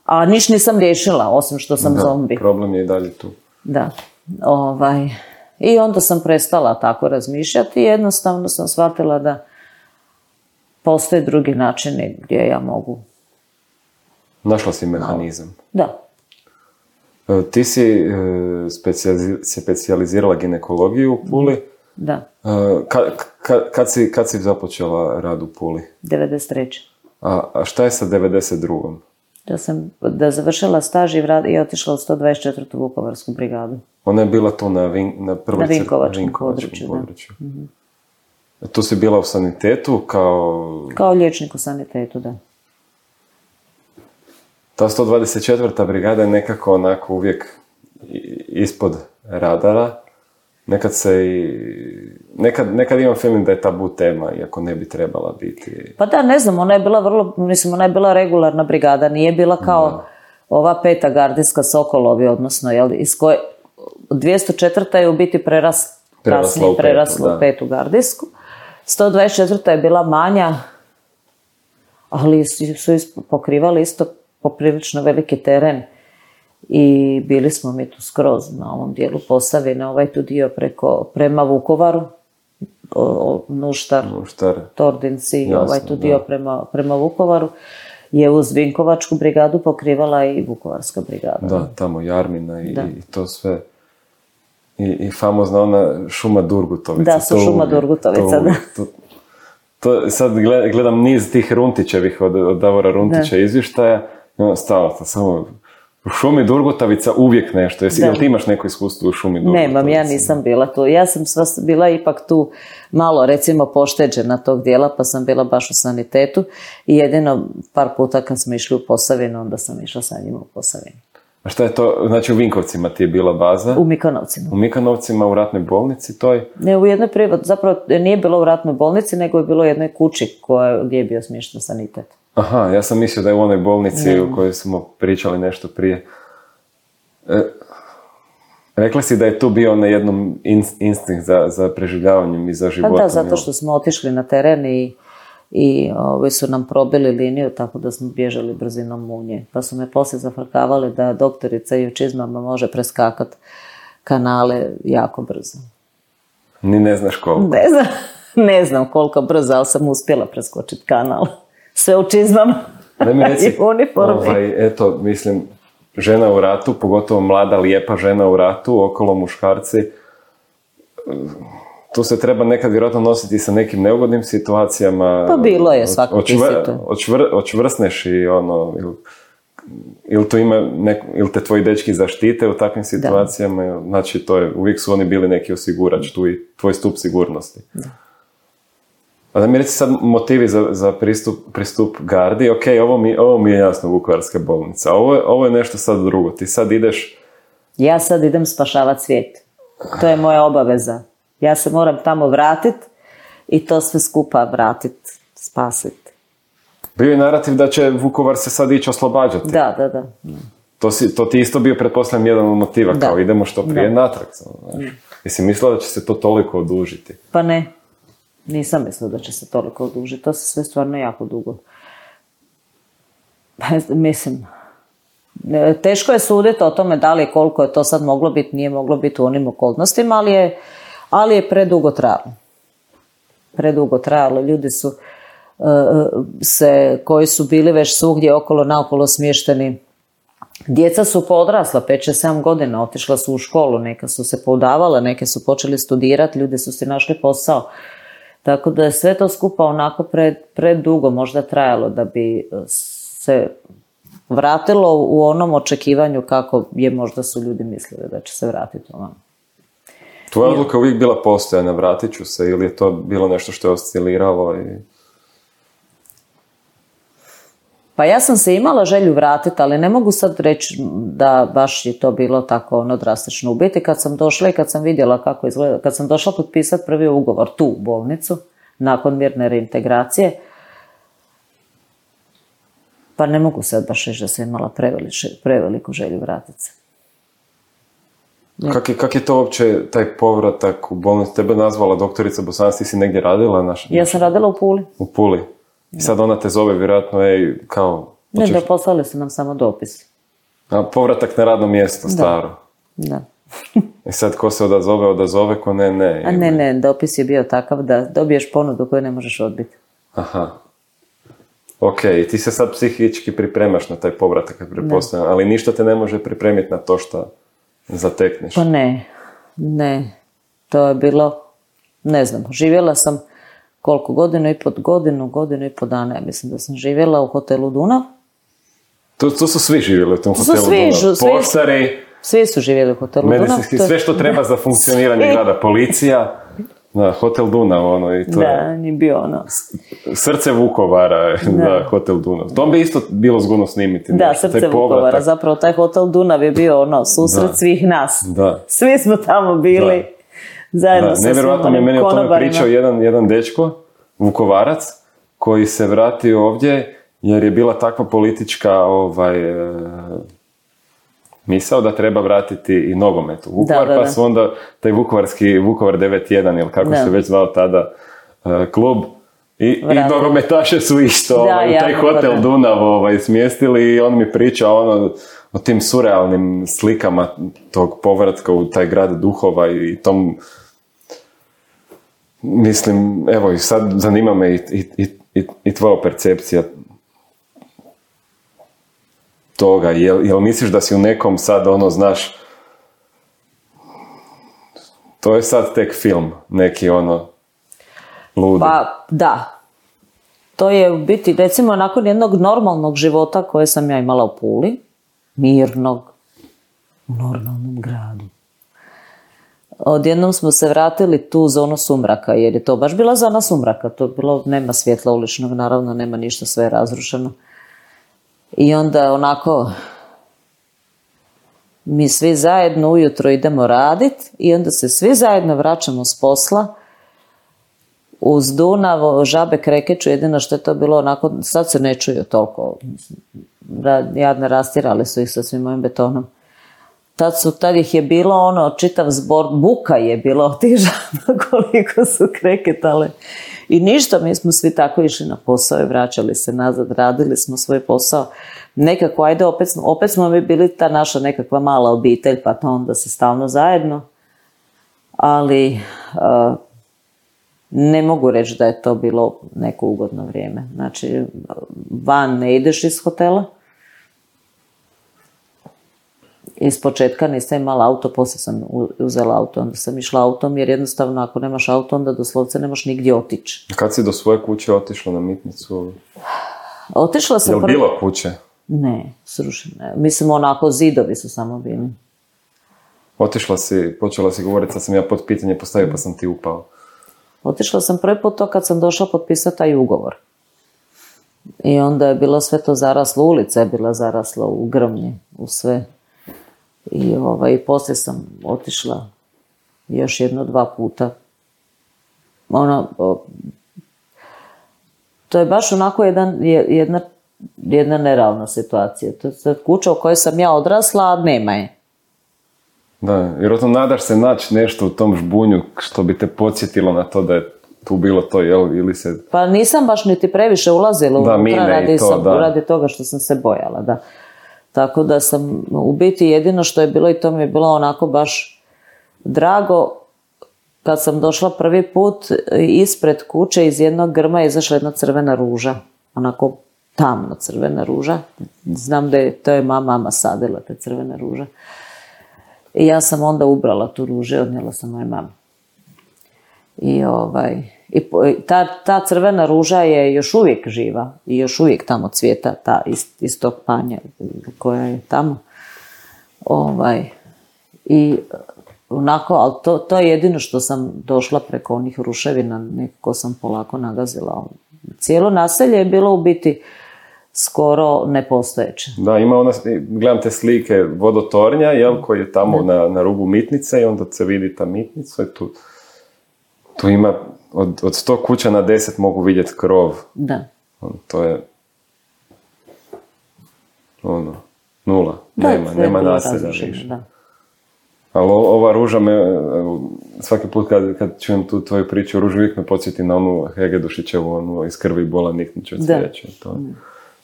A niš nisam riješila, osim što sam da, zombi. Problem je i dalje tu. Da, ovaj, i onda sam prestala tako razmišljati i jednostavno sam shvatila da postoje drugi načini gdje ja mogu. Našla si mehanizam. Da. Ti si specijalizirala ginekologiju u Puli. Da. Kad, kad, kad, si, kad si započela rad u Puli? devedeset treće. A, a šta je sa devedeset drugom? Da sam da završila staž i, vrat, i otišla u sto dvadeset četvrtu Vukovarsku brigadu. Ona je bila tu na, vin, na, na Vinkovačkom, Vinkovačkom području. području. Mm-hmm. Tu si bila u sanitetu kao... Kao liječnik u sanitetu, da. Ta sto dvadeset četvrta brigada je nekako onako uvijek ispod radara. Nekad se i... Nekad, nekad imam feeling da je tabu tema, iako ne bi trebala biti. Pa da, ne znam, ona je bila vrlo, mislim, ona je bila regularna brigada, nije bila kao da. Ova peta gardijska Sokolovi, odnosno, jel, iz koje dvjesto četvrta je u biti preras, kasnije prerasla u petu gardijsku. sto dvadeset četvrta je bila manja, ali su pokrivali isto poprilično veliki teren i bili smo mi tu skroz na ovom dijelu Posavine, ovaj tu dio preko, prema Vukovaru, o, o, Nuštar, Nuštar, Tordinci, jasno, ovaj tu dio prema, prema Vukovaru je uz Vinkovačku brigadu pokrivala i Vukovarska brigada. Da, tamo Jarmina i, i to sve. I, i famozna ona šuma Durgutovica. Da, su to šuma Durgutovica, da. To, to, sad gledam niz tih Runtićevih od, od Davora Runtića da. Izvještaja i ono stalo, samo U šumi Durgutavica uvijek nešto. Jesi, jel ti imaš neko iskustvo u šumi Durgutavica? Nemam, ja nisam bila tu. Ja sam sva bila ipak tu malo, recimo, pošteđena tog dijela, pa sam bila baš u sanitetu i jedino par puta kad smo išli u Posavinu, onda sam išla sa njima u Posavinu. A šta je to? Znači u Vinkovcima ti je bila baza? U Mikanovcima. U Mikanovcima, u ratnoj bolnici toj? Ne, u jednoj privat, zapravo nije bilo u ratnoj bolnici, nego je bilo u jednoj kući koja, gdje je bio smješten sanitet. Aha, ja sam mislio da je u onoj bolnici ne. U kojoj smo pričali nešto prije. E, rekla si da je tu bio na jednom instinkt za, za preživljavanjem i za životom. Pa da, zato što smo otišli na teren i, i ovi su nam probili liniju, tako da smo bježali brzinom munje. Pa su me poslije zafrkavali da doktorica i u čizmama može preskakati kanale jako brzo. Ni ne znaš koliko? Ne znam, ne znam koliko brzo, ali sam uspjela preskočiti kanal. Sve u čizmama da mi reci, i uniformi. Ovaj, eto, mislim, žena u ratu, pogotovo mlada, lijepa žena u ratu, okolo muškarci, tu se treba nekad vjerojatno nositi sa nekim neugodnim situacijama. Pa bilo je svako očvr, očvr, Očvrsneš i ono, ili, ili, tu ima nek, ili te tvoji dečki zaštite u takvim situacijama, da. Znači to je, uvijek su oni bili neki osigurač, tu i tvoj stup sigurnosti. Da. A da mi reci sad motivi za, za pristup, pristup gardi, ok, ovo mi, ovo mi je jasno Vukovarska bolnica, ovo je, ovo je nešto sad drugo, ti sad ideš... Ja sad idem spašavati svijet, to je moja obaveza, ja se moram tamo vratiti i to sve skupa vratiti, spasiti. Bio je narativ da će Vukovar se sad ići oslobađati. Da, da, da. To, si, to ti isto bio, pretpostavljam, jedan od motiva, da. Kao idemo što prije da. Natrag. Znaš. Jesi mislila da će se to toliko odužiti? Pa ne. Nisam mislila da će se toliko odužiti. To se sve stvarno jako dugo. Mislim, teško je suditi o tome da li koliko je to sad moglo biti, nije moglo biti u onim okolnostima, ali je, ali je predugo trajalo. Predugo trajalo. Ljudi su uh, se, koji su bili već svugdje okolo naokolo smješteni. Djeca su podrasla, pet šest sedam godina, otišla su u školu, neka su se poudavala, neke su počeli studirati, ljudi su si našli posao. Tako da je sve to skupa onako pred, predugo možda trajalo da bi se vratilo u onom očekivanju kako je možda su ljudi mislili da će se vratiti ovamo. Tvoja odluka uvijek bila postojana, vratit ću se, ili je to bilo nešto što je osciliralo? I... Pa ja sam se imala želju vratiti, ali ne mogu sad reći da baš je to bilo tako ono drastično. U biti kad sam došla i kad sam vidjela kako izgleda, kad sam došla potpisati prvi ugovor tu u bolnicu, nakon mirne reintegracije, pa ne mogu sad baš reći da sam imala preveliče, preveliku želju vratiti se. Kak je, kak je to uopće taj povratak u bolnicu? Tebe nazvala doktorica Bosanac, ti si negdje radila? Naš, ja sam radila u Puli. U Puli. I sad ona te zove vjerojatno, ej, kao... Ne, da poslali su nam samo dopis. A povratak na radno mjesto, da. Staro. Da. I sad ko se odazove, odazove, ko ne, ne. A ne, ne, dopis je bio takav da dobiješ ponudu koju ne možeš odbiti. Aha. Ok, i ti se sad psihički pripremaš na taj povratak, pretpostavljam, ali ništa te ne može pripremiti na to što zatekneš. Pa ne, ne. To je bilo, ne znam, živjela sam koliko, godinu i po godinu, godinu i po dana, ja mislim da sam živjela u hotelu Dunav. Tu, tu su svi živjeli u tom hotelu svi, Dunav. Svi, Poštari, svi su živjeli u hotelu Dunav. Medicinski, sve što treba za funkcioniranje grada, policija, da, hotel Dunav, ono, i to da, je... nije bio ono. Srce Vukovara, da, da hotel Dunav. To bi isto bilo zgodno snimiti. Da, nešto, srce Vukovara, zapravo taj hotel Dunav je bio ono, susret da. Svih nas. Da. Svi smo tamo bili. Da. Zajedno sa nevjerojatno mi je meni o tome pričao jedan, jedan dečko, Vukovarac, koji se vratio ovdje jer je bila takva politička ovaj, e, misao da treba vratiti i nogomet u Vukovar, da, da, da. Pa su onda taj vukovarski Vukovar devet jedan ili kako da. Se već zvao tada e, klub i, i nogometaše su isto da, ovaj, u taj hotel da. Dunav ovaj, smjestili i on mi priča ono, o tim surrealnim slikama tog povratka u taj grad duhova i tom. Mislim, evo i sad zanima me i, i, i, i tvoja percepcija toga. Jel, jel misliš da si u nekom sad ono, znaš, to je sad tek film, neki ono ludi. Pa da, to je u biti recimo nakon jednog normalnog života koje sam ja imala u Puli, mirnog, u normalnom gradu. Odjednom smo se vratili tu u zonu sumraka, jer je to baš bila zona sumraka. To je bilo, nema svjetla uličnog, naravno, nema ništa, sve je razrušeno. I onda onako, mi svi zajedno ujutro idemo raditi i onda se svi zajedno vraćamo s posla uz Dunav, žabe krekeću, jedino što je to bilo onako, sad se ne čuju toliko, jadne rastirali su ih sa svim mojim betonom. Tad, su, tad ih je bilo ono, čitav zbor, buka je bilo od tih žaba koliko su kreketale. I ništa, mi smo svi tako išli na posao i vraćali se nazad, radili smo svoj posao. Nekako, ajde, opet, opet smo mi bili ta naša nekakva mala obitelj, pa to onda se stalno zajedno. Ali uh, ne mogu reći da je to bilo neko ugodno vrijeme. Znači, van ne ideš iz hotela. Iz početka nisam imala auto, poslije sam uzela auto, onda sam išla autom, jer jednostavno ako nemaš auto, onda doslovce nemaš nigdje otići. Kad si do svoje kuće otišla na Mitnicu? Otišla sam... Je li prvi... bilo kuće? Ne, srušene. Mislim, onako zidovi su samo bili. Otišla si, počela si govoriti, sad sam ja pod pitanje postavio pa sam ti upao. Otišla sam prvi put to kad sam došla potpisati taj ugovor. I onda je bilo sve to zaraslo, ulica je bila zarasla u grmlje, u sve. I ovaj, poslije sam otišla još jedno, dva puta. Ono, o, to je baš onako jedan, jedna, jedna neravna situacija. To je kuća u kojoj sam ja odrasla, a nema je. Da, jer oto nadaš se naći nešto u tom žbunju što bi te podsjetilo na to da je tu bilo to, jel, ili se... Pa nisam baš niti previše ulazila da, unutra radi, to, sam, da. radi toga što sam se bojala, da. Tako da sam, u biti jedino što je bilo, i to mi je bilo onako baš drago, kad sam došla prvi put, ispred kuće iz jednog grma je izašla jedna crvena ruža, onako tamno crvena ruža. Znam da je, to je mama, mama sadila te crvene ruže. I ja sam onda ubrala tu ružu i odnijela sam moje mami. I, ovaj, i ta, ta crvena ruža je još uvijek živa i još uvijek tamo cvijeta, ta iz, iz tog panja koja je tamo. Ovaj, I onako, ali to, to je jedino što sam došla preko onih ruševina, nekako sam polako nagazila. Cijelo naselje je bilo u biti skoro nepostojeće. Da, ima ona, gledam te slike vodotornja, jel, koji je tamo na, na rubu Mitnice i onda se vidi ta Mitnica i tu, tu ima, od, od sto kuća na deset mogu vidjeti krov. Da. To je, ono, nula. Da, nema, nema naselja više. Da. Ali ova ruža me, svaki put kad, kad čujem tu tvoju priču o ruži, uvijek me podsjeti na onu Hegedušićevu, onu iz krvi bola niknuće od cvijeća. To,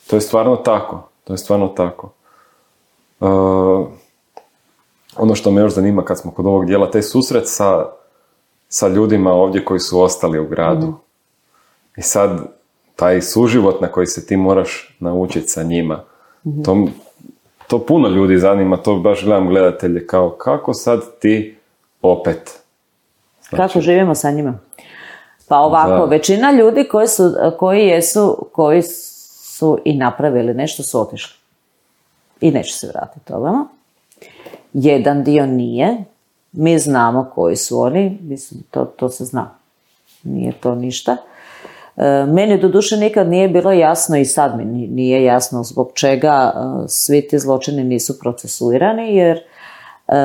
to je stvarno tako. To je stvarno tako. Uh, ono što me još zanima kad smo kod ovog dijela, taj susret sa, sa ljudima ovdje koji su ostali u gradu. Mm. I sad, taj suživot na koji se ti moraš naučiti sa njima, mm. to To puno ljudi zanima, to baš gledam gledatelje, kao kako sad ti opet. Znači, kako živimo sa njima? Pa ovako, da. Većina ljudi koji su, koji, jesu, koji su i napravili nešto su otišli. I neće se vratiti ovamo. Jedan dio nije. Mi znamo koji su oni. Mislim, to, to se zna. Nije to ništa. Meni doduše nikad nije bilo jasno i sad mi nije jasno zbog čega svi ti zločini nisu procesuirani, jer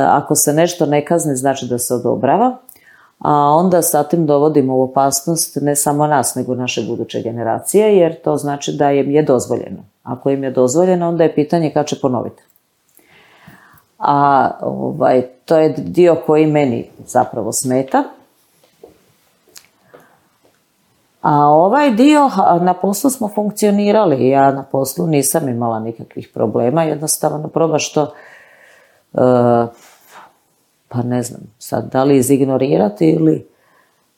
ako se nešto ne kazni znači da se odobrava, a onda sa tim dovodimo u opasnost ne samo nas nego naše buduće generacije, jer to znači da im je dozvoljeno. Ako im je dozvoljeno, onda je pitanje kad će ponoviti. A ovaj, to je dio koji meni zapravo smeta. A ovaj dio, na poslu smo funkcionirali, ja na poslu nisam imala nikakvih problema, jednostavno probaš to, uh, pa ne znam, sad da li izignorirati ili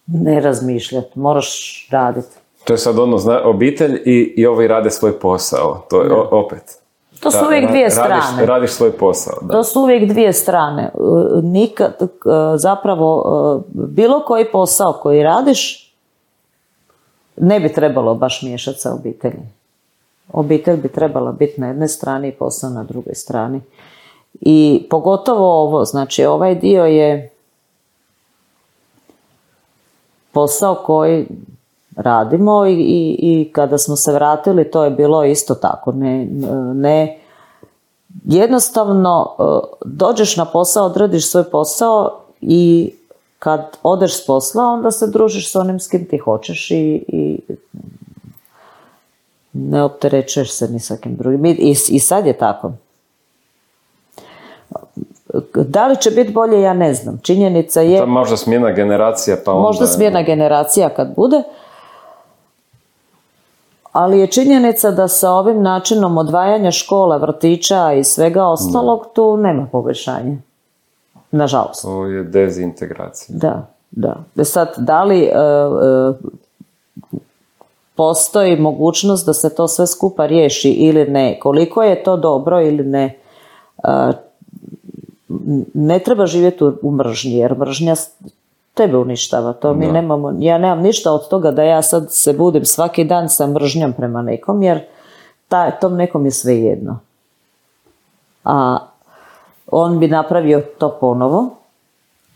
ne razmišljati, moraš raditi. To je sad ono, zna, obitelj i, i ovi rade svoj posao, to je o, opet. To su uvijek dvije strane. Radiš, radiš svoj posao. Da. To su uvijek dvije strane. Nikad, zapravo, bilo koji posao koji radiš, ne bi trebalo baš miješati sa obitelji. Obitelj bi trebala biti na jednoj strani i posao na drugoj strani. I pogotovo ovo, znači ovaj dio je posao koji radimo i, i, i kada smo se vratili to je bilo isto tako. Ne, ne, jednostavno dođeš na posao, odradiš svoj posao i kad odeš s posla onda se družiš s onim s kim ti hoćeš i, i ne opterećuješ se ni sa kim drugim. I, i sad je tako. Da li će biti bolje, ja ne znam. Činjenica je... To možda smjena generacija, pa onda... Možda smjena generacija kad bude. Ali je činjenica da sa ovim načinom odvajanja škola, vrtića i svega ostalog, da. Tu nema poboljšanja. Nažalost. To je dezintegracija. Da, da. Sad, da li... E, e, postoji mogućnost da se to sve skupa riješi ili ne, koliko je to dobro ili ne, ne treba živjeti u mržnji, jer mržnja tebe uništava. To mi nemamo, ja nemam ništa od toga da ja sad se budim svaki dan sa mržnjom prema nekom, jer ta, tom nekom je sve jedno. A on bi napravio to ponovo,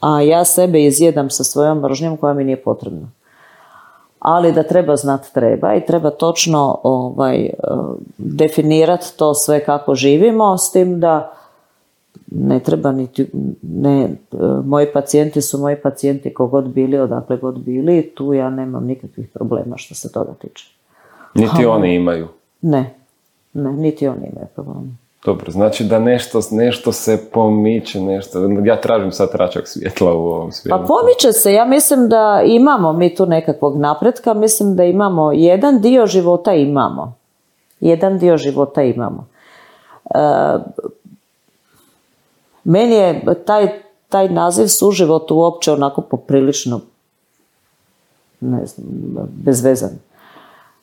a ja sebe izjedam sa svojom mržnjom koja mi nije potrebna. Ali da treba znati treba i treba točno ovaj, definirati to sve kako živimo, s tim da ne treba niti, ne, moji pacijenti su moji pacijenti kogod bili, odakle god bili, tu ja nemam nikakvih problema što se toga tiče. Niti A, oni imaju? Ne, ne, niti oni imaju problema. Dobro, znači da nešto, nešto se pomiče, nešto, ja tražim sad tračak svjetla u ovom svijetu. Pa pomiče se, ja mislim da imamo mi tu nekakvog napretka, mislim da imamo, jedan dio života imamo. Jedan dio života imamo. E, meni je taj, taj naziv suživot uopće onako poprilično, ne znam, bezvezan.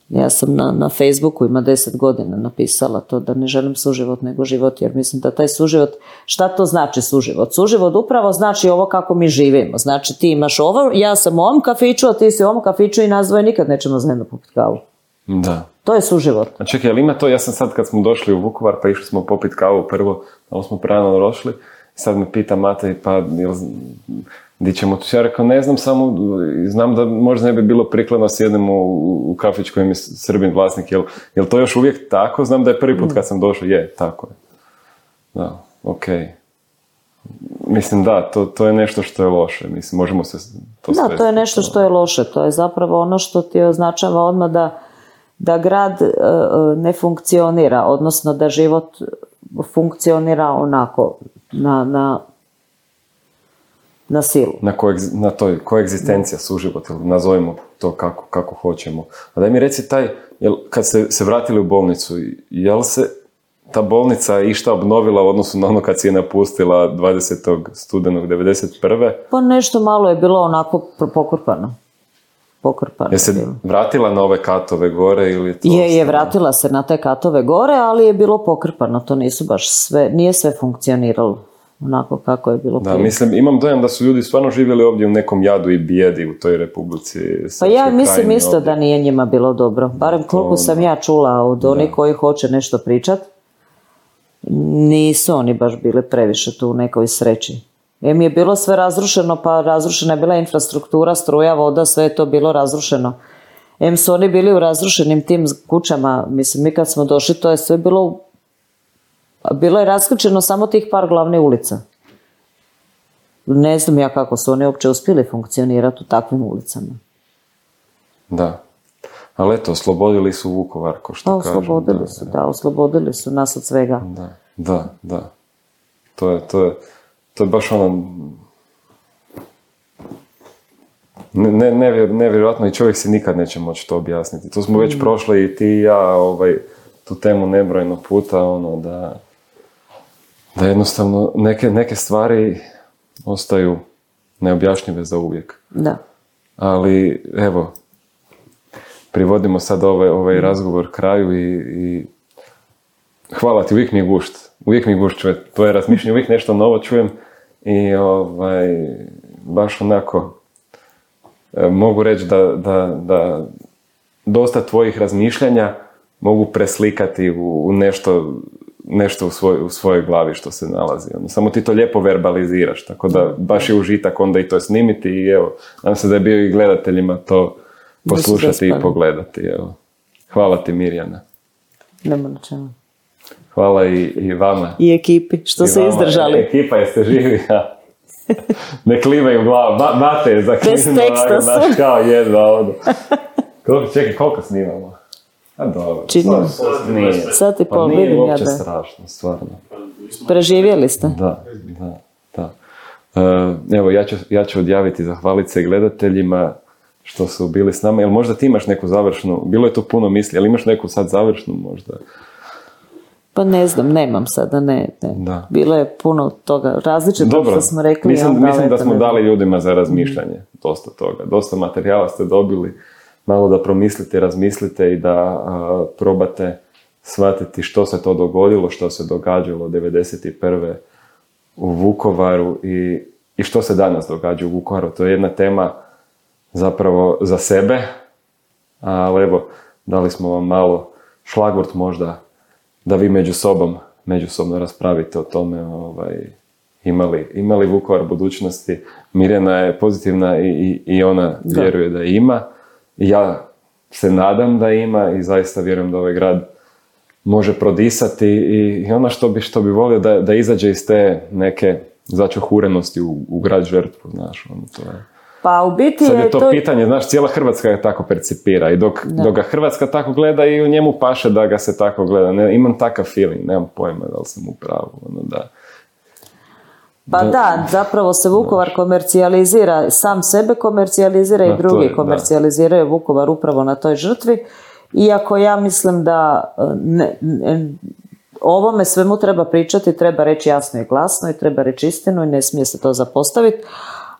Ja sam na, na Facebooku ima deset godina napisala to da ne želim suživot nego život, jer mislim da taj suživot, šta to znači suživot? Suživot upravo znači ovo kako mi živimo. Znači ti imaš ovo, ja sam u ovom kafiću, a ti si u ovom kafiću i nas dvoje nikad nećemo zajedno popiti kavu. Da. To je suživot. A čekaj, ali ima to, ja sam sad kad smo došli u Vukovar pa išli smo popiti kavu prvo, ali smo prerano došli, sad me pita Matej, pa jel, di ćemo tu? Ja rekao, ne znam, samo znam da možda ne bi bilo prikladno sjednemo u, u kafić kojem je Srbin vlasnik. Jel, jel to još uvijek tako? Znam da je prvi put kad sam došao. Je, tako je. Da, okej. Okay. Mislim, da, to, to je nešto što je loše. Mislim, možemo se to Da, svesti. To je nešto što je loše. To je zapravo ono što ti označava odmah da, da grad e, ne funkcionira, odnosno da život funkcionira onako, na... na na silu. Na, koegz, na toj koegzistencija, suživot, ili nazovimo to kako, kako hoćemo. A daj mi reci taj, jel, kad ste se vratili u bolnicu, je li se ta bolnica išta obnovila u odnosu na ono kad si je napustila dvadesetog studenog devedeset prve? Pa nešto malo je bilo onako pokrpano. Pokrpano. Je se vratila na ove katove gore ili to? Je, je vratila se na te katove gore, ali je bilo pokrpano. To nisu baš sve, nije sve funkcioniralo onako kako je bilo prije. Da, mislim, imam dojam da su ljudi stvarno živjeli ovdje u nekom jadu i bijedi u toj Republici. Pa ja mislim isto ovdje da nije njima bilo dobro. Barem koliko sam ja čula od onih koji hoće nešto pričat, nisu oni baš bili previše tu u nekoj sreći. Em je bilo sve razrušeno, pa razrušena je bila infrastruktura, struja, voda, sve je to bilo razrušeno. Em su oni bili u razrušenim tim kućama, mislim, mi kad smo došli, to je sve bilo u Bilo je raskrčeno samo tih par glavne ulica. Ne znam ja kako su oni uopće uspjeli funkcionirati u takvim ulicama. Da. Ali eto, oslobodili su Vukovar, ko što kažem. Oslobodili da, su, da. da, oslobodili su nas od svega. Da, da, da. To je, to je, to je baš ono... Ne, ne, nevjerojatno i čovjek si nikad neće moći to objasniti. To smo već mm. prošli i ti i ja, ovaj, tu temu nebrojeno puta, ono, da... da jednostavno neke, neke stvari ostaju neobjašnjive za uvijek. Da. Ali, evo, privodimo sad ovaj, ovaj razgovor kraju i, i hvala ti, uvijek mi je gušt. Uvijek mi je gušt čujem tvoje razmišljanje, uvijek nešto novo čujem i ovaj, baš onako mogu reći da, da, da dosta tvojih razmišljanja mogu preslikati u, u nešto, nešto u, svoj, u svojoj glavi što se nalazi. Ono, samo ti to lijepo verbaliziraš, tako da baš je užitak onda i to snimiti i evo, nadam se da je bio i gledateljima to poslušati i pogledati. Evo. Hvala ti, Mirjana. Nema na čemu. Hvala i, i vama. I ekipi, što I se vama. izdržali. E, ekipa, jeste živi? Ne klivaju glavu, ba, bate je za bez teksta su. Naš kao jedva odu. Koliko, čekaj, koliko snimamo? A dobro. Činimo. Nije. Sad i pol, pa nije vidim ja uopće da. strašno, stvarno. Preživjeli ste? Da, da, da. Uh, evo, ja ću, ja ću odjaviti, zahvaliti se gledateljima što su bili s nama. Jel možda ti imaš neku završnu, bilo je tu puno misli, ali imaš neku sad završnu možda? Pa ne znam, nemam sada, ne. ne. Da. Bilo je puno toga različito što smo rekli. Mislim, ja, mislim da smo ne... dali ljudima za razmišljanje dosta toga. Dosta materijala ste dobili, malo da promislite, razmislite i da a, probate shvatiti što se to dogodilo, što se događalo devedeset prve u Vukovaru i, i što se danas događa u Vukovaru. To je jedna tema zapravo za sebe, ali evo, dali smo vam malo šlagvort možda da vi među sobom, međusobno raspravite o tome ovaj, imali, imali Vukovar budućnosti. Mirjana je pozitivna i, i, i ona da. vjeruje da ima. I ja se nadam da ima i zaista vjerujem da ovaj grad može prodisati i, i ono što bi, što bi volio da, da izađe iz te neke začuhurenosti u, u grad žrtvu, znaš, ono to je. Pa u biti sad je to, to pitanje, znaš, cijela Hrvatska je tako percipira i dok, dok ga Hrvatska tako gleda i u njemu paše da ga se tako gleda. Ne, imam takav feeling, nemam pojma da li sam u pravu. Ono, da, pa da, da, zapravo se Vukovar da. komercijalizira, sam sebe komercijalizira i drugi je, komercijaliziraju da. Vukovar upravo na toj žrtvi. Iako ja mislim da ne, ne, ovome svemu treba pričati, treba reći jasno i glasno i treba reći istinu i ne smije se to zapostaviti.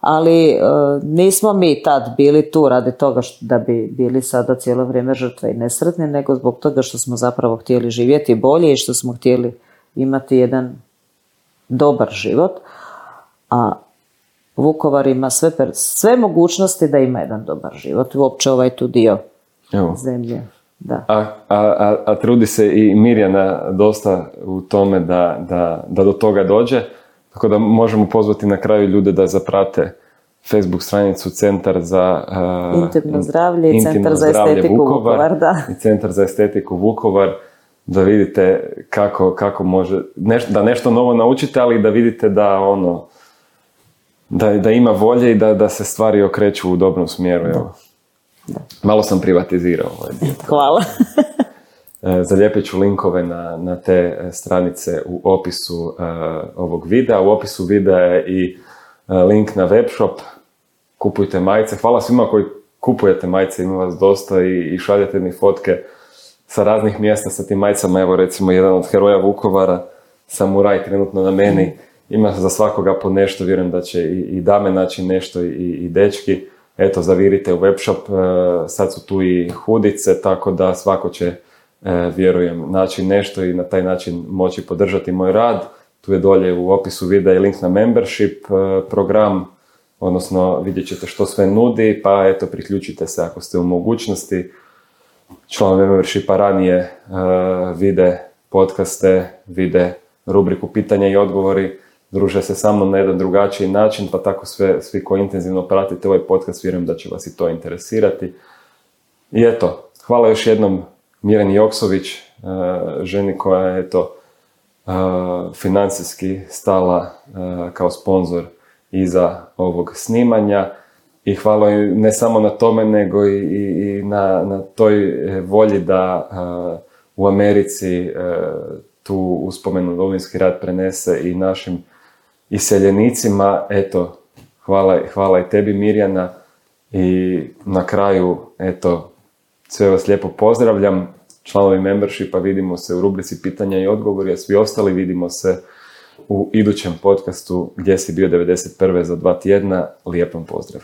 Ali e, nismo mi tad bili tu radi toga što, da bi bili sada cijelo vrijeme žrtve i nesretni, nego zbog toga što smo zapravo htjeli živjeti bolje i što smo htjeli imati jedan dobar život. A Vukovar ima sve, sve mogućnosti da ima jedan dobar život. Uopće ovaj tu dio Evo. zemlje. Da. A, a, a, a trudi se i Mirjana dosta u tome da, da, da do toga dođe. Tako da možemo pozvati na kraju ljude da zaprate Facebook stranicu Centar za uh, intimno zdravlje i Centar za estetiku Vukovar, Vukovar da. i Centar za estetiku Vukovar, da vidite kako, kako može, neš, da nešto novo naučite, ali da vidite da ono, da, da ima volje i da, da se stvari okreću u dobrom smjeru. Evo. Da. Malo sam privatizirao ovaj dio. Hvala. Zalijepit ću linkove na, na te stranice u opisu uh, ovog videa. U opisu videa je i uh, link na webshop. Kupujte majice. Hvala svima koji kupujete majice, ima vas dosta i, i šaljete mi fotke sa raznih mjesta sa tim majicama. Evo recimo jedan od heroja Vukovara, Samuraj, trenutno na meni. Ima za svakoga po nešto, vjerujem da će i, i dame naći nešto i, i dečki. Eto, zavirite u webshop. Uh, sad su tu i hudice, tako da svako će E, vjerujem, naći nešto i na taj način moći podržati moj rad. Tu je dolje u opisu videa i link na membership e, program, odnosno vidjet ćete što sve nudi, pa eto, priključite se ako ste u mogućnosti. Članovi membershipa ranije e, vide podcaste, vide rubriku pitanja i odgovori, druže se sa mnom na jedan drugačiji način, pa tako sve, svi koji intenzivno pratite ovaj podcast, vjerujem da će vas i to interesirati. I eto, hvala još jednom Mirjani Joksović, ženi koja je eto, financijski stala kao sponzor iza ovog snimanja i hvala ne samo na tome nego i, i na, na toj volji da u Americi tu uspomenu Domovinski rat prenese i našim iseljenicima. Eto, hvala, hvala i tebi Mirjana i na kraju eto, sve vas lijepo pozdravljam, članovi membershipa, vidimo se u rubrici pitanja i odgovori, a svi ostali vidimo se u idućem podcastu Gdje si bio devedeset prve za dva tjedna. Lijep vam pozdrav.